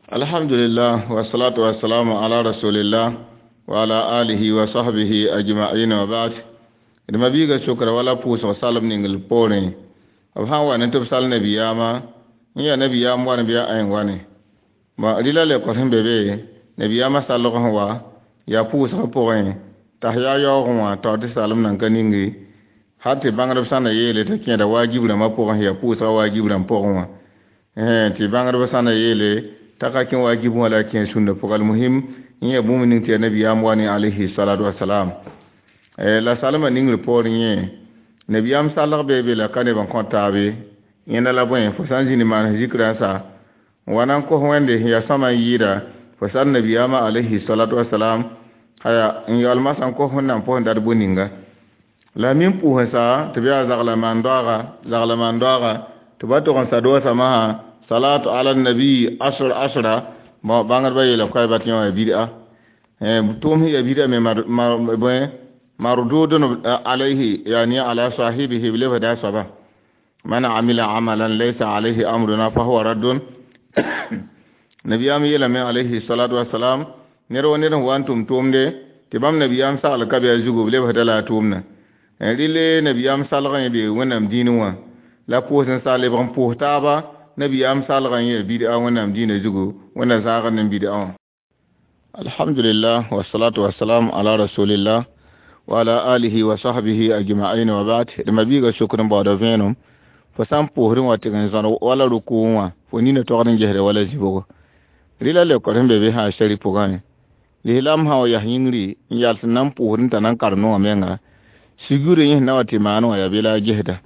Alhamdulillah, wassalatu wassalamu ala rasulillah wa ala alihi wa sahbihi ajma'in wa ba'd. D mabiiga sokra wala pʋʋsg salem ning l poorẽ. B sã n wa ne tɩ b sal nabiyaamã, n yaa nabiyaam wane bɩ a ãen wane. Bõ rɩla leokd sẽn be be, nabiyaamã salg sẽn wa, yaa pʋʋsgã pʋgẽ, t'a yaa yaoogẽ wã taoor tɩ salem nan ka ningi, hal tɩ bãngdb sã na yeele t'a kẽeda waajib rãmbã pʋgẽ, yaa pʋʋsgã waajib rãmb pʋgẽ wã. Tɩ bãngdb sã na yeele t'a ka kẽ waajib wã la a kẽ sũnna pʋgã. Almuhim, n yaa bũmb ning tɩ yaa nabiyaam wa ne alayhi salatu wasalam. La salmã ningr poorẽ yẽ, nabiyaam salg bee be la ka neb n kõ taabe, yẽnda la bõe, fo sã n zĩnd maan zikra n sa, n wa na n kos Wẽnde sẽn yaa sõma n yɩɩda, fo sal nabiyaamã alayhi salatu wasalam, aya n yaool masã n kos Wẽnnaam pʋsẽ dat bũ-ninga. La min pʋʋs n sa tɩ b yaa zagla maan doaaga, zagla maan doaaga, tɩ ba tog n sa doosã masã, salatu ala nabi asr asra, bõ bãngdbã yeela koɛɛba tɩ yẽ wã bid'a. Tʋʋm sẽn yaa bid'a me bõe mardudun alayhi, yani ala sahibihi, b lebsda a soaba. Man amila amalan laysa alayhi amruna fahuwa raddun. Nabiyaam yeelame alayhi salatu wasalam, ned wa ned sẽn wa n tʋm tʋʋmde tɩ bãmb nabiyaam sagl ka be a zugu, b lebsda la a tʋʋmdã. Rɩle nabiyaam salgã yẽ be Wẽnnaam dĩinẽ wã, la pʋʋs n sa lebg n pʋʋs taaba, nabiyaam salgã yẽ bid'a Wẽnnaam dĩinã zugu, Wẽnna zãagd ne bid'a wã. Alhamdulillah, wassalatu wassalam ala rasulillah wa ala alihi wa sahbihi ajma'in wa ba'd. D mabiiga sokd n baooda vẽenem, fo sã n pʋʋsdẽ wã tɩg n zõd wala rʋkʋʋ wã, fo nina togd n gesda wala zibgo. Rɩla leokd sẽn be be sã sari pʋgã, lislaam sã wa yas yĩngri n yals n na n pʋʋsd n t'a na n karemd wã menga, sugurã yẽ sẽn na wa tɩ maan wã yaa be la a gesda.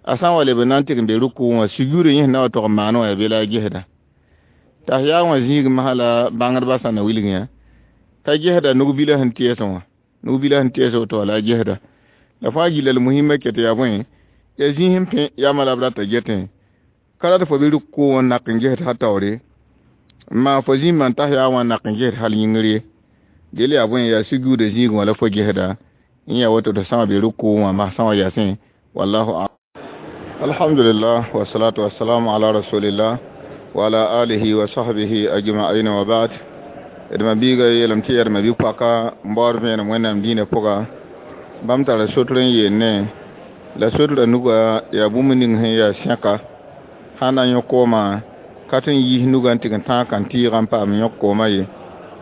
A sã n wa leb n na n tɩg n be rʋkʋʋ wã, sugurã yẽ sẽn na wa tog n maan wã yaa be la a gesda. T'a yaa wã zĩig masã la bãngdbã sã na wilg yã, t'a gesda nug-bilã sẽn tɛɛsẽ wã, nug-bilã sẽn tɛɛs woto wã la a gesda. La fãa gilla l muhimã ket yaa bõe, yaa zĩis n pẽ yamã la b rata getẽ, ka rat fo bɩ rʋkʋʋ wã nak n gesd hal taoore, n maan fo zĩmbã n tas yaa wã nak n gesd hal yĩngr ye. Del yaa bõe, yaa suguuda zĩigẽ wã la fo gesda, n yaa woto tɩ sã wa be rʋkʋʋ wã masã wã yasẽ, wallahu a'lam. Alhamdulillah, wassalatu wassalamu ala rasulillah wa ala alihi wa sahbihi ajma'in wa ba'd. D mabiiga yeelame tɩ yaa d mabi-poaka n baood vẽenem Wẽnnaam dĩinã pʋga, bãmb tara sotr n yeelne, la sotrã nuga yaa bũmb ning sẽn yaa sẽka, sã na n yõ koomã, ka tɩ n yiis nugã n tɩg n tãag kãn-tɩɩgã n paam yõk koomã ye.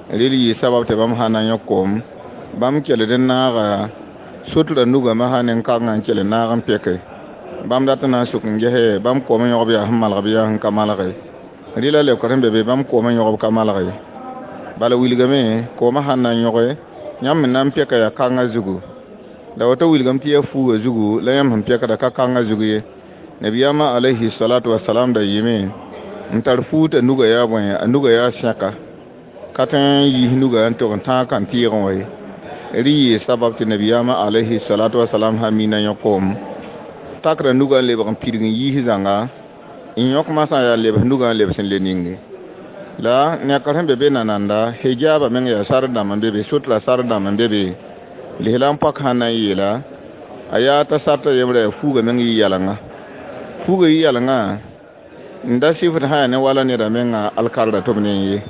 Rel yɩ sabab tɩ bãmb sã na n yõk koom, bãmb kell n naaga sotrã nugã masã nen-kangã n kell n naag n pɛke. Bãmb dat n na n sʋk n gese bãmb koomã yõgb yaa sẽn malg bɩ yaa sẽn ka malge. Rɩla leokd sẽn be be, bãmb koomã yõgb ka malge. Bala wilgame, koomã sãn na n yõge, yãmb me na n pɛka yaa kangã zugu. La woto wilgame tɩ yaa fuugã zugu, la yãmb sẽn pɛkda ka kangã zug ye. Nabiyaamã alayhi salatu wasalam da yɩɩme n tar fuug t'a nugã yaa bõe, a nugã yaa sẽka, ka tõe n yiis nugã n tog n tãag kãn-tɩɩgẽ wã ye. Rɩ yɩɩ sabab tɩ nabiyaamã alayhi salatu wasalam sã mina yõ koom, takra nugã n lebg n pidg n yiis zãnga, n yõk masã yaa lebs nugã n lebs n le ninge. La nekr sẽn be be nananda, hijaabã meng yaa sar dãmb n be be, sotra sar dãmb n be be. Lislaam poak sã n na n yeela, a yaa t'a sartã yembrã yaa fuugã meng yɩ yalengã. Fuugã yɩ yalengã, n da sɩfd sã yaa ne wala neda menga alkarda tɩ b ne n ye.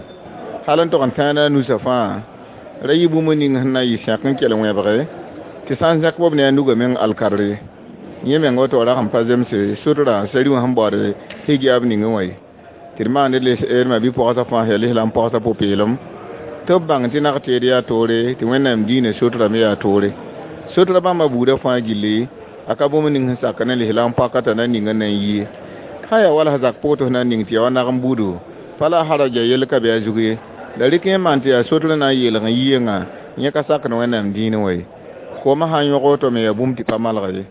Hal n tog n tãana a nusã fãa, ra yɩ bũmb ning sẽn na n yɩ sẽk n kell wẽbge, tɩ sã n zẽk b ne a nugã meng alkard ye. Yẽ meng woto rag n pa zemse sotra sari wã sẽn baood hijaab ningẽ wã ye. Tɩ d maand d mabi-poagsã fãa yaa lislaam poagsã pʋ-peelem, tɩ b bãng tɩ nag teed yaa toore, tɩ Wẽnnaam dĩinã sotra me yaa toore. Sotra bãmba buudã fãa gilli, a ka bũmb ning sẽn sak ne lislaam poaka t'a na ning n na n yi ye. Sã yaa wala zak pʋg tɩ f na n ning tɩ yaa wa nag n buudu, pa la haraja yell ka be a zug ye. La rɩk yẽ maan tɩ yaa sotr na n yeelg n yiengã, yẽ ka sakd Wẽnnaam dĩinẽ wã ye. Koomã sã n yõg woto me yaa bũmb tɩ pa malg ye.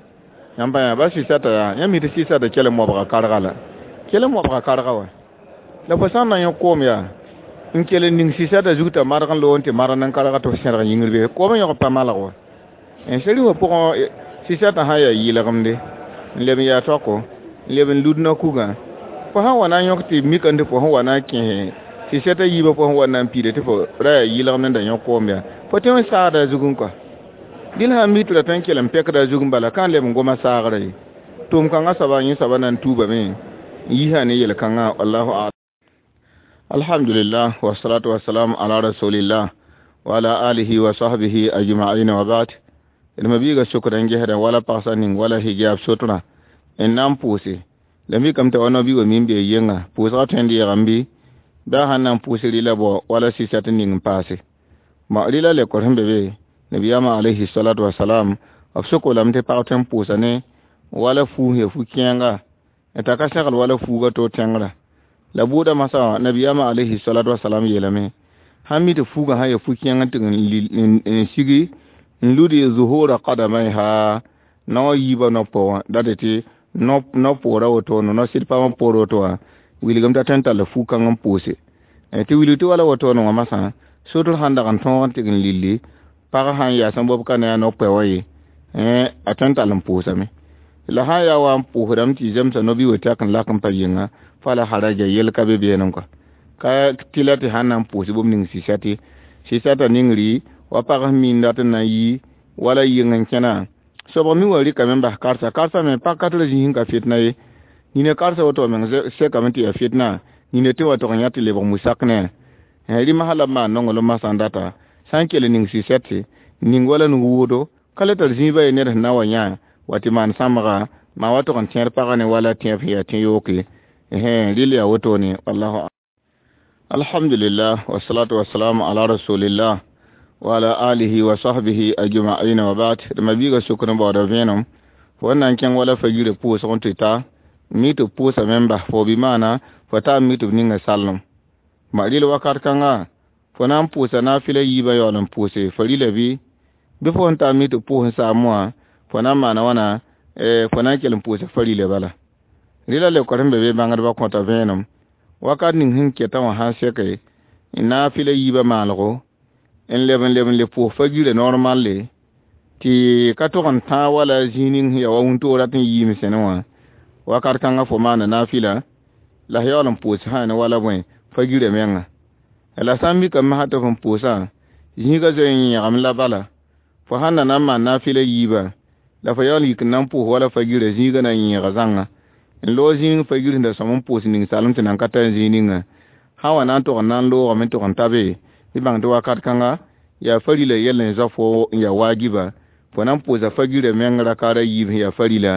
Yãmb pa yã ba sɩsata yaa, yãmb mi tɩ sɩsata kell n mobga karga la. Kell n mobga karga wa. La fo sã n na yõk koom yaa, n kell n ning sɩsata zug t'a marg n loog n tɩ marg n karga tɩ f sẽrg yĩngr be, koomã yõg pa malg wa. N sari wã pʋgẽ, sɩsatã sã n yaa yɩlgemde, n leb n yaa taoko, n leb n lud na-kugã. Fo sã n wa na n yõk tɩ mika tɩ fo sẽn wa na n kẽese sɩsata yiibã fo sẽn wa na n piida tɩ fo ra yaa yɩlgemd n da yõk koom yaa, fo tõe n saagda a zugẽ kɔa. Dĩn sã n mi tɩ ra tõe n kell n pɛkda a zugẽ bala, ka n leb n goma saagrã ye. Tʋʋm kãngã soaba, yẽ soaba na n tuubame n yiisã ne yel-kãngã, wallahu a'lam. Alhamdulillah wassalatu wassalamu ala rasulillah wa ala alihi wa sahbihi ajma'in wa ba'd. D ma biiga sokd n gesda wala pagsa ning wala hijab sotrã n na n pʋʋse. La mikame t'a wa no-bi wa min bee yenga pʋʋsgã tõe n deegame bɩ baa sãn na n pʋʋs rɩla bao wala sɩsɛt n ning n paase. Bõ rɩla lekor sẽn be be nabiyaamã alayhi salatu wasalam b sok lame tɩ pag tõe n pʋʋsa ne wala fuus ya fu-kẽenga n t'a ka segl wala fuuga to tẽngrã. La bʋʋda masã wã nabiyaamã alayhi salatu wasalam yeelame sãn mi tɩ fuugã sã ya fu-kẽeng n tɩg n sigi n ludi zuhura qadamaiha nao yiibã no-pɔ wã dat tɩ no-poorã wotone no-sɩd pamã poor woto wã wilgame t'a tõe n tall fu-kãng n pʋʋse. Tɩ wilg tɩ wala wotone wã masã sotr sãn dag n tõog n tɩg n lilli pag sãn yaa sẽn bob ka ne a no-pɛ wã ye a tõe n tall n pʋʋsame. La sãn yaa wa n pʋʋsdame tɩ zemsa no-bi wa tɛk n lak n pa yĩnga fala haraja yel ka be beenem kɔa ka tɩ la tɩ sãn na n pʋʋs bũmb ning sɩsɛtɩ sɩsɛtã ningri wa pag sẽn miin dat n na n yi wala yɩng n kẽna sobg mi wa rɩkame n bas karsa karsa me pag ka tɩ ra zĩis n ka fitna ye nina karsa woto meng sekame tɩ yaa fitna nina tɩ wa tog n yã tɩ lebg musak ne rɩmsã la b maan nonglem masã n data sã n kell ning sɩsɛtɩ ning wala nug wʋʋdo ka le tar zĩiba ye ned sẽn na wa yã wa tɩ maan sãmbga maa wa tog n tẽed pagã ne wala tẽeb sẽn yaa tẽ-yooke rɩl yaa wotone wallahu. Alhamdulillah wassalatu wassalamu ala rasulillah wa ala alihi wa sahbihi ajma'in wa ba'd. D ma biiga sokd n baooda vẽenem fo n na n kẽng wala fa yirã pʋʋsg n tɩ ta mi tɩ b pʋʋsame n bas fo bɩ maana fo taa mi tɩ b ninga sallem. Ma rɩl wakat kãnga fo na n pʋʋsa naafɩla yiibã yaool n pʋʋse fa rɩla bɩ fo sẽn taa mi tɩ b pʋʋs n saam wã fo na n maana wãna fo na n kell n pʋʋsa fa rɩla bala. Rɩla lekor sẽn be be bãngdbã kõta vẽenem wakat ning sẽn keta wã sãn seke n naafɩla yiibã maalgo n leb n leb n le pʋʋs fa yirã normalle tɩ ka tog n tãag wala zĩig ning sẽn yaa wa wũntoog rat n yiime sẽne wã wakat kãngã fo maana naafɩla la f yaool n pʋʋs sã ne wala bõe fa yirã menga. La sã n mikame masã tɩ f n pʋʋsã zĩigã zoe n yẽgame la bala fo sãn na na n maan naafɩla yiibã la fo yaool n yik n na n pʋʋs wala fa yirã zĩigã na n yẽega zãnga n loog zĩig fa yir sẽn da sõm n pʋʋs ning salem tɩ nan ka tar zĩig ninga sã wa na n tog n na n loogame n tog n ta be tɩ bãng tɩ wakat kãnga yaa fa rɩla yɛl n zao fo n yaa waajiba fo na n pʋʋsa fa yirã meng rakaara yiib sẽn yaa fa rɩla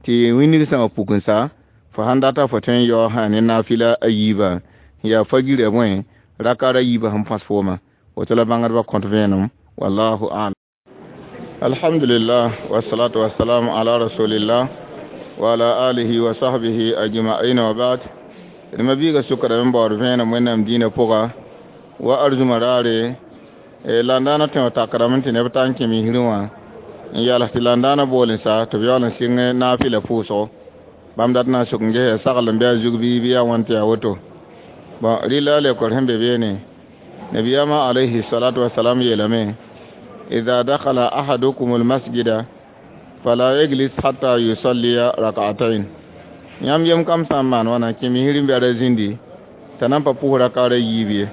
tɩ wĩnnig sã wã puk n sa fo sãn data fo tõe n yao sã ne naafɩla a yiibã sẽn yaa fa yirã bõe rakaara yiibã sẽn põs fooma woto la bãngdbã kõt vẽenem wallahu a'lam. Alhamdulillah wassalatu wassalamu ala rasulillah wa ala alihi wa sahbihi ajma'in wa ba'd. D ma biiga sʋkdame n baood vẽenem wẽnnaam dĩinã pʋga wa arzũma raare landãanã tõe w takrame tɩ neb ta n kẽ misrẽ wã n yals tɩ landãanã bool n sa tɩ b yaool n sɩng naafɩla pʋʋsgo bãmb dat na n sok n ges yaa sagl n bɩ a zug bɩ yaa wãn tɩ yaa woto. Bõn rɩla lekor sẽn be beene nabiyaamã alayhi salatu wasalam yeelame idha dakhala ahadukum almasjida fala yajlis hatta yusalliya rak'atayn. Yãmb yem kam sã n maan wãna kẽ misr n bɛra zĩndi t'a na n pa pʋʋs rakaara yiib ye.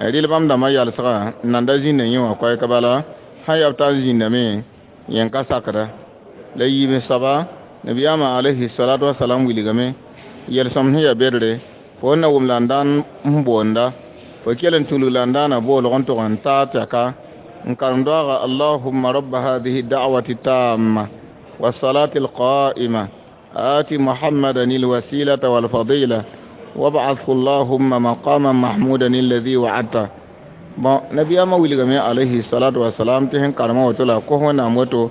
Rɩl bãmb dãmbã yalsgã n nan da zĩnda yẽ wã koɛɛka bala sã yaa b tar n zĩndame yẽ ka sakda. La yiib n soaba nabiyaamã alayhi salatu wasalam wilgame yel-sõmd sẽn yaa bedre fo n na wʋm landãan n boonda fo kell n tulg landãanã boolg n tog n taa tɛka n karem doaga allahumma rabba hadihi da'wati tamma والصلاة القائمة آت محمدا الوسيلة والفضيلة وابعثه اللهم مقاما محمودا الذي وعدته. Bon nabiyama wilgame alayhi salatu wasalam tɩ sẽn karema woto la kos wẽnnaam woto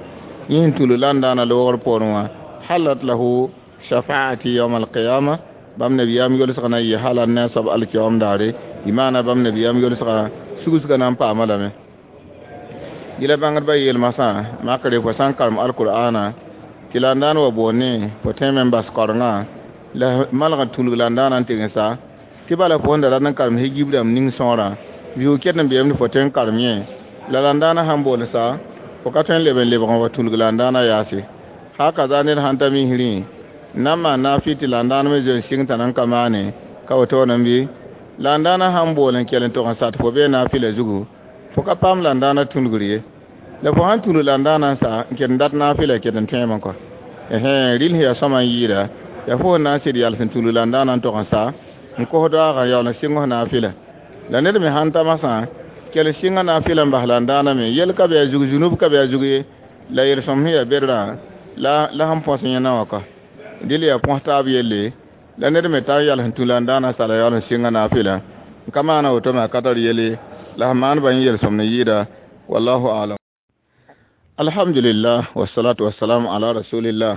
yẽ sẽn tulg landãanã loogr poorẽ wã halat lahu shafaati yawm alqiyama bãmb nabiyaam yolsg na n yɩ hala ne a soab alkiyaoom daare bɩ maana bãmb nabiyaam yolsga sugsgã na n paama lame. Yɩla bãngdbã yeel masã makre fo sã n karem alkur'aana tɩ landãan wa boonne fo tõeme n bas kaorengã la malg n tulg landãanã n tɩg n sa tɩ bala fo sẽn da rat n karem higib rãmb ning sõorã biʋʋg ket n beem tɩ fo tõe n karem yẽ la landãanã sãn bool sa fo ka tõe n leb n lebg n wa tulg landãanã yaase haka za ned sãn ta misrẽ n na n maan naafɩ tɩ landãan me zoe n sɩng t'a nan ka maane ka wotoone bɩ landãanã sãn bool n kell n tog n sa tɩ fo bee naafɩla zugu fo ka paam landãanã tũlgr ye la fo sãn tulg landãanã n sa n ket n dat naafɩla ket n tõeme kɔ rɩl sẽn yaa sõma n yɩɩda yaa fo sẽn na n sɩd yals n tulg landãanã n tog n sa N kos doaagã yaool n sɩng f naafɩla la ned me sãn ta masã kell sɩnga naafɩla n bas la n daaname yel ka be a zug zunub ka be a zug ye la yel-sõm sẽn yaa bedrã la sẽn põs yẽna wã ka dɩl yaa põs taab yelle la ned me tar yals n tũ la n daana sala yaool n sɩnga naafɩla n ka maana woto me a ka tar yelle la sẽn maan ba yẽ yel-sõmd n yɩɩda wallahu alam. Alhamdulillah wassalatu wassalamu ala rasulillah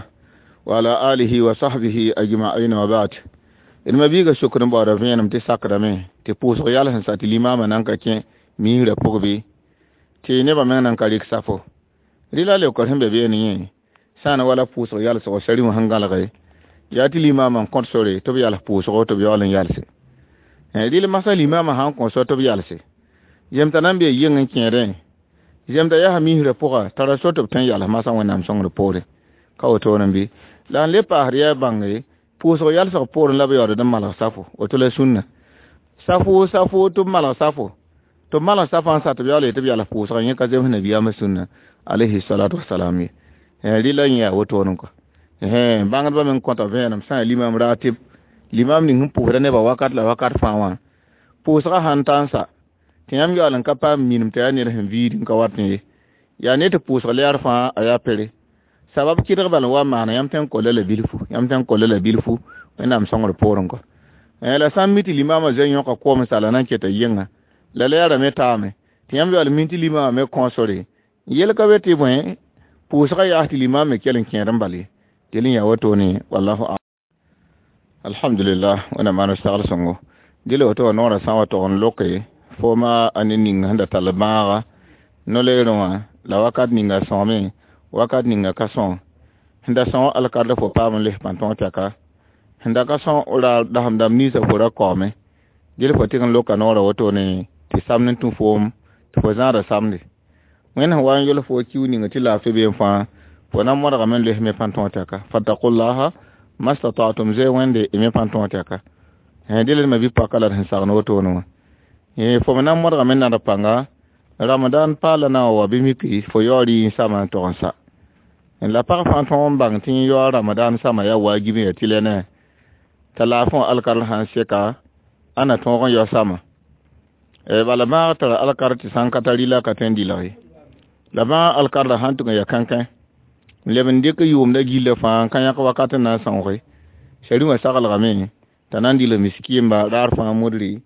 wa ala alihi wa sahbihi ajma'in wa ba'd. D ma biiga sokd n baooda vẽenem tɩ sakdame tɩ pʋʋsg yals n sa tɩ limaamã nan ka kẽ miisrã pʋg bɩ tɩ nebã meng nan ka rɩk safo. Rɩla leokr sẽn be beene yẽ sã n wala pʋʋsg yalsgo sari wã sẽn gãlge yaa tɩ limaamã n kõt sore tɩ b yals pʋʋsgo tɩ b yaool n yalse. Rɩl masã limaamã sã n kõ so tɩ b yalse zemta nan bee yɩng n kẽedẽ zemta yaa misrã pʋga tara so tɩ b tõe n yals masã wẽnnaam sõngr poore ka wotone bɩ la n le paasd yaa bãnge pʋʋsg yalsg poorẽ la b yaood n malg safo woto la sũnna safo safo tɩ b malg safo tɩ b malg safã n sa tɩ b yaool tɩ b yals pʋʋsga yẽ ka zems nabiyaamã sũnna alayhi salatu wasalam ye rɩla yẽ yaa wotone kɔ bãngdbã meng kõta vẽenem sã n limam ratib limam ning sẽn pʋʋsda nebã wakat la wakat fãa wã pʋʋsgã sãn ta n sa tɩ yãmb yaool n ka paam minim tɩ yaa ned sẽn viid n ka wat ye yaa ne tɩ pʋʋsg lɛɛr fãa a yaa pere sabab kɩdg bal n wa maana yãmb tõe n kolla la bilfu yãmb tõe n kolla la bilfu wẽnnaam sõngr poorẽ kɔ la sã n mi tɩ limaamã zoe yõka koom sala na n keta yɩnga la lɛɛrã me taame tɩ yãmb yaool min tɩ limaamã me kõ sore yel ka be tɩ bõe pʋʋsgã yaas tɩ limaam me kell n kẽed n bal ye del n yaa wotone wallahu a'lam. Alhamdulillah wẽnnaam maan sagl sõngo dɩl woto wã noorã sã n wa tog n loke fooma a ne ning sẽn da tall bãaga no-leerẽ wã la wakat ninga sõame wakat ninga ka sõo sẽn da sõo alkard fo paam n les pãn-tõog tɛka sẽn da ka sõo ra dasem dãmb ninsã fo ra kaoome dɩl fo tɩg n loka noorã wotone tɩ samd n tũ foom tɩ fo zãada samde wẽnd sẽn wa n yol fo kiu ning tɩ laafɩ been fãa fo na modgame n les me pãn-tõog tɛka fattaqullaha mastata'tum zoe wẽnde y me pãn-tõog tɛka dɩl ma bi-paka la d sẽn sagn wotone wã fo me na n modgame n nad pãnga ramadan paala na n wa bɩ miki fo yaoor yɩ n sama n tog n sa la pag fãa tõog n bãng tɩ yẽ yaoor ramadan sama yaa waajib n yaa tɩ lɛ ne t'a laafẽ wã alkar sã n seka a na tõog n yao sama bala bãag tara alkar tɩ sã n ka tar rɩla ka tõe n dɩlg ye la bãag alkarda sãn tʋg n yaa kãnkẽ n leb n dɩk yʋʋmda gillã fãa n ka yãk wakat n na n sõoge sari wã saglgame t'a na n dɩlg miskiimba raar fãa mudri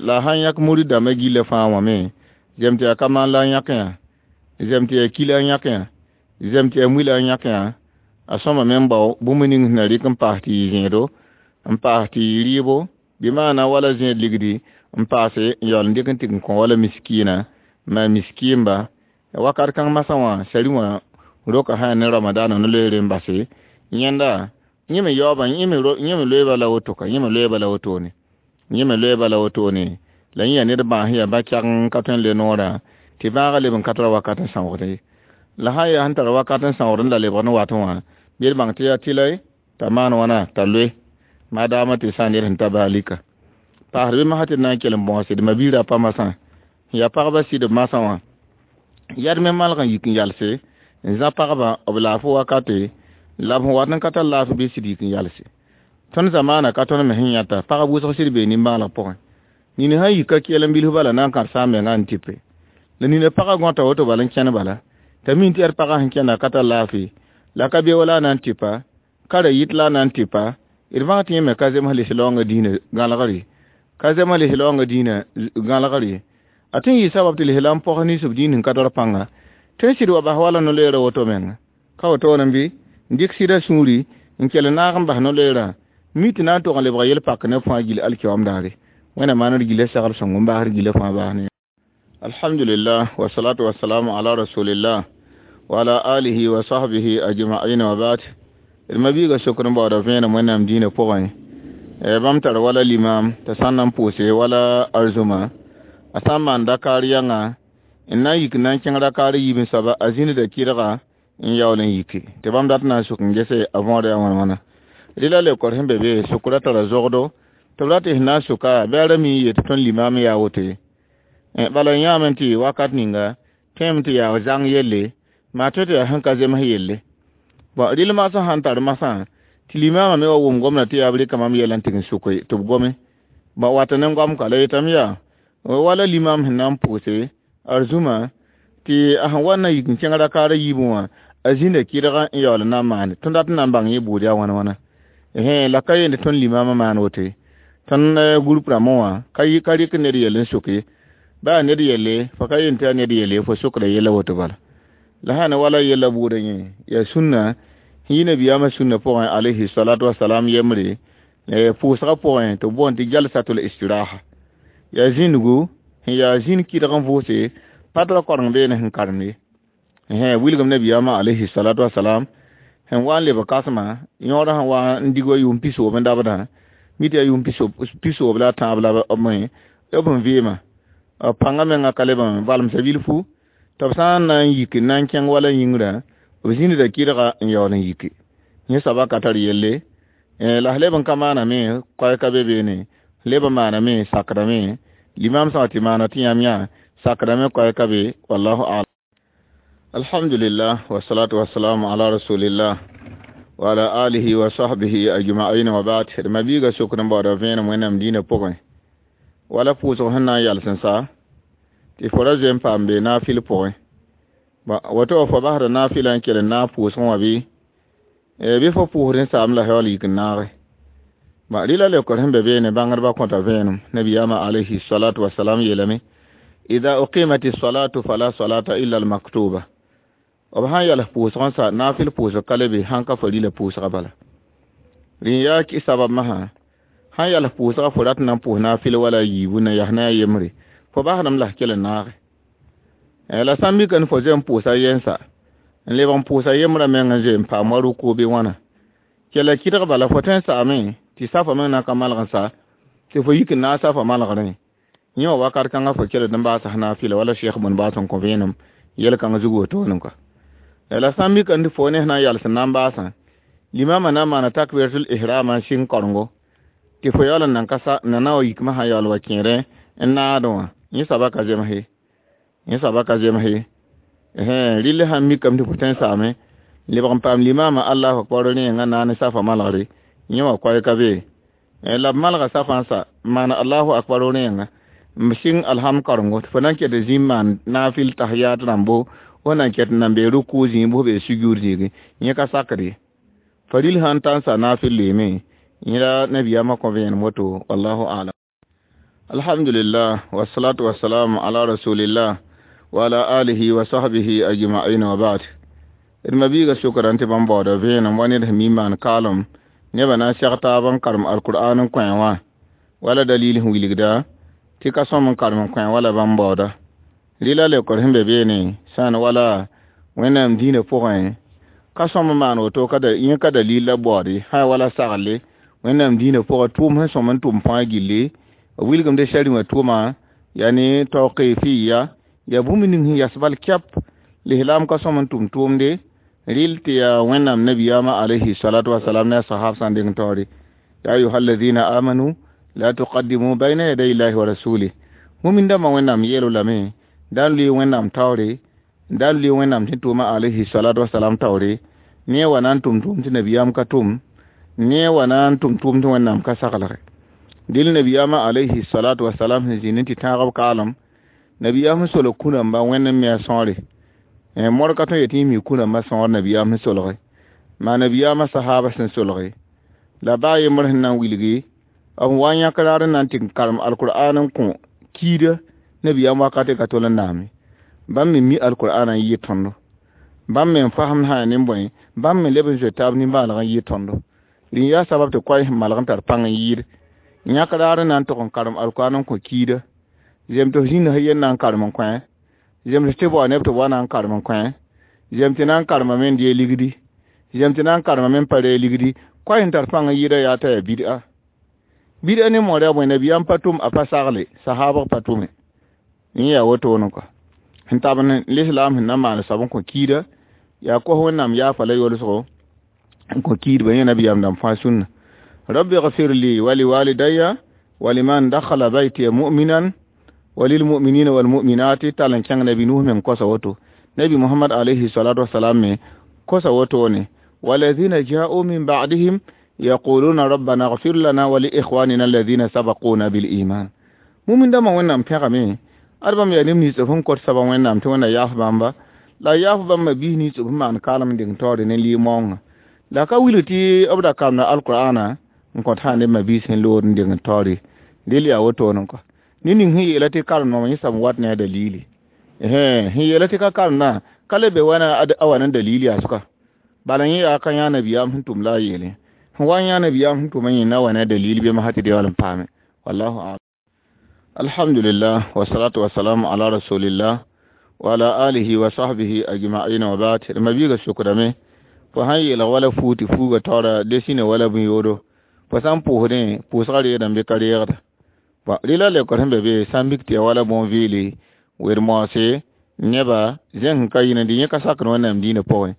la sãn yãk murid dãmbã gillã fãa wã me zem tɩ yaa ka maan la n yãk yã zem tɩ yaa kila n yãk yã zem tɩ yaa muila n yãk yã a sõma me n bao bũmb ning sẽn na rɩk n paas tɩ yɩ zẽedo n paas tɩ yɩ rɩɩbo bɩ maana wala zẽed ligdi n paase n yaool n dɩk n tɩg n kõ wala miskiina maa miskiimba wakat kãng masã wã sari wã roka sã ne ramadaana no-loeere n base yẽnda yẽ me yaoobã yẽ me loeeba la woto ka yẽ me loeeba la wotone yẽ me loeeba la wotone la yẽ yaa ned bãas yaa ba-kɛg n ka tõe n le noorã tɩ bãagã leb n ka tara wakat n sãoogd ye la sã n yaa sẽn tar wakat n sãoogd n la lebg n wat wã bɩ d bãng tɩ yaa tɩlɛ t'a maan wãna t'a loe maadaamã tɩ sã n ned sẽn ta baa lika paasd bɩ masã tɩ d na n kell n bõose d ma-biirã pa masã n yaa pagba sɩdb masã wã yad me malg n yik n yalse n zã pagba b laafɩ wakate la b sẽn wat n ka tar laafɩ bɩ sɩd yik n yalse tõnd zamaana ka tõnd me sẽn yãta pagb wʋsg sɩd bee nimbãaneg pʋgẽ nina sãn yika keel n bilf bala na n kãd sã n menga n tɩpe la nina pagã gõta woto bala n kẽn bala t'a min tɩ yaa d pagã sẽn kẽnda ka tar laafɩ la ka be wala a na n tɩpa ka ra yit la a na n tɩpa d bãng tɩ yẽ me ka zems lis-laoongã diinã gãlgr ye ka zems lis-laoongã diinã gãlgr ye a tõe n yɩ sabab tɩ lislaam pɔgs nins b diin sẽn ka tar pãnga tõe n sɩd wa bas wala no-loeerã woto menga ka wotone bɩ n dɩk sɩda sũuri n kell naag n bas no-loeerã mi tɩ na n tog n lebga yel-pak ne fãa gill alkiyoam daare wẽnnaam maan d gilla sagl sõng n baasd gilla fãa baas ne. Alhamdulillah wasalatu wasalamu ala rasulillah wa ala alihi wa sahbihi ajma'in wa ba'd. D ma-biiga sokr n baooda vẽenem wẽnnaam diinã pʋgẽ bãmb tar wala limam t'a sã n na n pʋʋse wala arzũma a sã n maan dakaar yãnga n na n yik n na n kẽng rakaar yiib n soaba a zĩnida kɩdga n yaool n yiki tɩ bãmb dat na n sʋk n gese a võoda yaa wãn wãna rɩla leokor sẽn be be sʋkra tara zogdo tɩ b rat tɩ sẽn na n sʋka bɩ a ra mi n yet tɩ tõnd limaam yaa woto ye bala n yãame tɩ wakat ninga tõeme tɩ yaa zãng yelle maa tõe tɩ yaa sẽn ka zems yelle bõn rɩl magsã sãn tar masã tɩ Tɩ limaamã me wa wʋm gomdã tɩ yaa b rɩka mam yɛl n tɩg n soke tɩ b gome. Ba wat ne goam ka la yetame yaa wala limaam sẽn na n pʋʋse arzũma tɩ a sẽn wa n na yik n kẽng rakaar a yiibẽ wã a zĩnda kɩdg n yaool n na n maane. Tõnd dat n na n bãng yẽ buud yaa wãna wãna. La ka yeende tõnd limaamã maan woto ye. Tõnd group rãmbã wã ka rɩk ned yell n soke. Baa ned yelle, fo ka yeen tɩ yaa ned yelle, fo sokda yella woto bala. La sã ne wala yella buudã yẽ, yaa sũnna, sẽn yi nabiyaamã sũnna pʋgẽ alayhi salatu wasalam yembre, pʋʋsgã pʋgẽ tɩ b boond tɩ jalsatul istiraha. Yaa zĩndgu, sẽn yaa zĩnd kɩdg n vʋʋse, pa tɩ ra koreng beene sẽn karemd ye. Wilgem nabiyaamã alayhi salatu wasalam, sẽn wa n leb kasmã, yõodã sẽn wa n dig wa yʋʋm pisoob n dabdã, mi tɩ yaa yʋʋm pisoob la a tãab la b b n vɩɩmã. B pãngã menga ka leb n valemsa bilfu, tɩ b sã n na n yik n na n kẽng wala yĩngrã, b zĩnda kɩdga n yaool n yiki. Yẽ soaba ka tar yelle, la leb n ka maaname, koɛɛ ka be beene, leb n maaname, sakdame, limaam sã tɩ maana tɩ yãmb yã, sakdame koɛɛ ka be, wallahu a'lam. Alhamdulillah, wa salatu wa salamu ala rasulillah wa ala alihi wa sahbihi ajma'in wa ba'd. D mabiiga sokd n baooda vẽenem wẽnnaam dĩinã pʋgẽ. Wala pʋʋsg sẽn na n yals n sa, tɩ fo ra zoe n paam be naafɩl pʋgẽ. Woto wã fo basda naafɩlã n kell n naag pʋʋsgẽ wã bɩ, bɩ fo pʋʋsd n saam la yaool yik n naage. Rɩla leokr sẽn be beene bãngdbã kõta vẽenem. Nabiyaamã alayhi salatu wasalam yeelame, ida uqimat salatu fala salata illa al-maktuba. B sãn yals pʋʋsg n sa, naafɩl pʋʋsg ka le be, sãn ka fo rɩla pʋʋsga bala. Rẽ yaa sabab masã, sãn yals pʋʋsga fo rat n na n pʋʋs naafɩl wala a yiibu na yas ne a yembre, fo basdame la f kell n naage. La sã n mika ne fo zoe n pʋʋsa yɛnsa, n lebg n pʋʋsa yembrã meng n zoe n paam wa rʋko bɩ wãna. Kella kɩdg bala fo tõe n saame tɩ safa meng na n ka malg n sa, tɩ fo yik n naag safa malgrẽ. Yẽ wã wakat kãngã fo keled n baasa naafɩla wala Cheikh bũn baas n kõ vẽenem yel-kãng zug wotone kɔa. La sã n mika tɩ fo ne sẽn na n yals n na n baasã, limaamã na n maana takbiratul ihram n sɩng korengo, tɩ fo yaool n nan ka sa, n na wa yikmã sã yaool wa kẽerẽ n naadẽ wã, yẽ soaba ka zems ye. Yẽ soaba ka zems ye. Rɩl sãn mikame tɩ fo tõe n saame, lebg n paam limaamã Allahu akbar rẽenga na ne safa malgre, yẽ wã koɛɛ ka be. La b malga safã n sa, n maana Allahu akbar rẽenga, n sɩng alhamd korengo, tɩ fo na n ket zĩ n maan naafɩl tahiyat rãmbo, fo na n ket n nan be ruku zĩig bɩ fo be sujur zĩigi, yẽ ka sakd ye. Fo rɩl sãn ta n sa naafɩl loeeme, yẽ la nabiyaamã kõ vẽenem woto, wallahu a'lam. Alhamdulillah, wa salatu wa salam ala rasulillah wa ala alihi wa sahbihi ajma'in wa ba'd. D mabiiga sokra tɩ bãmb baooda vẽenem wa ned sẽn mi n maan kaalem, nebã na n seg taab n karem alkur'an n kõ wã, wala dalil sẽn wilgda tɩ ka sõm n karem n kõ wala bãmb baooda. Rɩla leokr sẽn be beene, sã n wala Wẽnnaam dĩinã pʋgẽ, ka sõm n maan woto, yẽ ka dalil la baoode, sã wala sagle Wẽnnaam dĩinã pʋgẽ, tʋʋm sẽn sõm n tʋm fãa gilli, b wilgemde sariwã tʋʋma, yaa ne tawqifiya, yaa bũmb ning sẽn yas bal kɛp, lislaam ka sõm n tʋm tʋʋmde, rɩl tɩ yaa Wẽnnaam nabiyaamã alayhi salatu wasalam ne a sahab sã n deng taoore. Ya ayuha alladhina amanu la tuqaddimu bayna yaday illahi wa rasulih. Mumin dãmbã Wẽnnaam yeel lame, da n lʋɩ Wẽnnaam taoore, da n lʋɩ Wẽnnaam tɩ tʋʋma alayhi salatu wasalam taoore, ne wa na n tʋm tʋʋm tɩ nabiyaam ka tʋm, ne wa na n tʋm tʋʋm tɩ Wẽnnaam ka saglge. Dɩl nabiyaamã alayhi salatu wasalam sẽn zĩnd tɩ tãag b kaalem, nabiyaam sẽn solg kũ-rãmbã Wẽnd n me a sõore. Modg ka tõe yetɩ yẽ mi kũ-rãmbã sõor nabiyaam sẽn solge, maa nabiyaamã sahaba sẽn solge. La baa yembr sẽn na n wilgi, b wa n yãk raar n na n tɩ karem alkur'an n kõ kiida nabiyaam wakate ka tol n naame. Bãmb me mi alkur'an n yɩ tõndo. Bãmb me n fasem sã yaa nin-bõe, bãmb me leb n zoe taab nimbãaneg n yɩ tõndo. Rẽ yaa sabab tɩ koɛɛ sẽn malg n tar pãng n yɩɩd. Yãk raar n na n tog n karem alkur'an n kõ kiida. Zem tɩ f zĩnd sã yen na n karem n kõ, zem tɩ bao neb tɩ b wa na n karem n kõ, zem tɩ na n karemame n dee ligdi, zem tɩ na n karemame n pa ree ligdi, koɛɛ sẽn tar pãng n yɩɩda yaa t'a yaa bid'a. Bid'a ne moor yaa bõe, nabiyaam pa tʋm, a pa sagle, sahaabg pa tʋme. Yẽ yaa wotone kɔa. Sẽn tab lislaam sẽn na n maan soab n kõ kiida, yaa kos Wẽnnaam yaafa la yolsgo n kõ kiidbã, yẽ nabiyaam dãmb fãa sũnna. Rabbi gfir li wa liwalidaya wa liman dakhala baytiya mu'minan wa lilmu'minina wal mu'minati tall n kẽng nabi Nuh meng kosa woto. Nabi Muhammad alayhi salatu wasalam me kosa wotone. Walladhina ja'u min ba'dihim Yaquluna rabbana ighfir lana wa li ikhwanina alladhina sabaquna bil iman. Mumin dãmbã Wẽnnaam pẽgame ad bãmb yaa neb nins b sẽn kot soaba Wẽnnaam tɩ Wẽnna yaaf bãmba la yaaf bãmba biis nins b sẽn maan kaalem n deng taoore ne lɩ-maoongã la ka wilg tɩ b ra kaamda alqur'ana n kõt sã neb ma-biis sẽn lood n deng taoore del yaa wotone kɔ ned ning sẽn yeela tɩ karem yẽ soab n wat ne a dalili sẽn yeela tɩ ka karemdã ka le be wãna a wa ne dalili yaa sʋka bala yẽ yaa ka yã nabiyaam sẽn tʋm la a yeele sẽn wa n yã nabiyaam sẽn tʋm yẽ na wa ne a dalil bɩ masã tɩ yaool n paame wallahu alam. Alhamdulillah wasalatu wasalamu ala rasulillah wa ala alihi wa sahbihi ajma'in wa ba'd. Ma biiga sokdame fo sãn yeelg wala fuu tɩ fuuga taoora desine wala bũn-yoodo fo sã n pʋʋsdẽ pʋʋsgã reedame bɩ ka reegda rɩla lekor sẽn be be sã n mik tɩ ya wala bõn-vɩɩle wer-moase neba zẽng sẽn ka yɩ dɩ yẽ ka sakd Wẽnnaam dĩinã pʋgẽ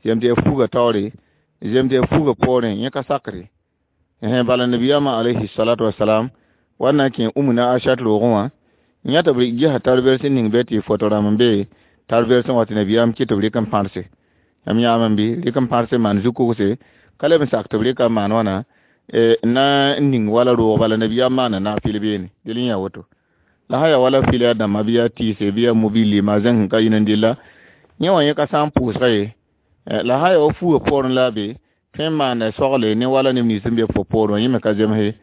zem tɩ ya fuuga taoore zem tɩ ya fuuga poorẽ yẽ ka sakre bala nabiyaamã alayhi salatu wasalam wa na n kẽ Umna Ashat roogẽ wã yã tɩ b gesa tar-vɛrs n ning be tɩ foto rãmb n be tar-vɛrsẽ wã tɩ nabiyaam kɩ tɩ b rɩk n pãrse yãmb yãame bɩ rɩk n pãrse maan zu-kogse ka leb n sak tɩ b rɩka n maan wãna na n ning wala roog bala nabiyaam maana naafɩl beene del n yaa woto la sã yaa wala fɩl yaa dãmba bɩ yaa tɩɩse bɩ yaa mobile maa zẽng sẽn ka yĩn n dɩlla yẽ wã yẽ ka sã n pʋʋsga ye la sã yaa wa fuugã poorẽ la a be tõe n maanda sogle ne wala neb nins sẽn be fo poorẽ wã yẽ me ka zemse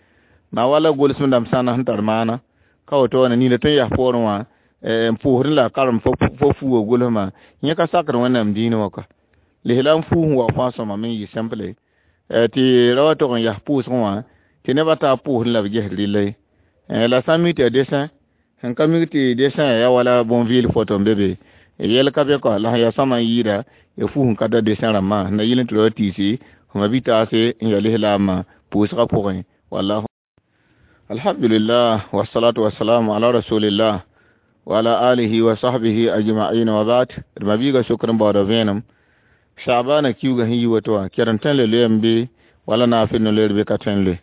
maa wala gʋlsem dãmb sãna sẽn tar maana ka woto wã nina tõe n yas poorẽ wã n pʋʋsdẽ la a karem fo fuugã gʋlsmã yẽ ka sakd Wẽnnaam dĩinã wã ka lesla n fuus n waoog fãa sõma me n yɩ simple tɩ ra wa tog n yas pʋʋsgẽ wã tɩ nebã taa pʋʋsdẽ la b ges rɩlla ye la sã n mik tɩ yaa dessin sẽn ka mik tɩ dessin yaa wala bõn-vɩɩl foto n be be yɛl ka be kɔ la sẽn yaa sõma n yɩɩda ya fuus n ka ta dessin rãmbã sẽn na yɩl n tɩ ra wa tiisi fo ma bi-taase n yaa lislaamã pʋʋsgã pʋgẽ wallahu. Alhamdulillah wassalatu wassalamu ala rasulillah wa ala alihi wa sahbihi ajma'in wa ba'd. D ma-biiga sokr n baooda vẽenem Sha'bana kiuga sẽn yi woto wã kɛrem tõe n le loeem bɩ wala naafɩl no-loeer bɩ ka tõe n loe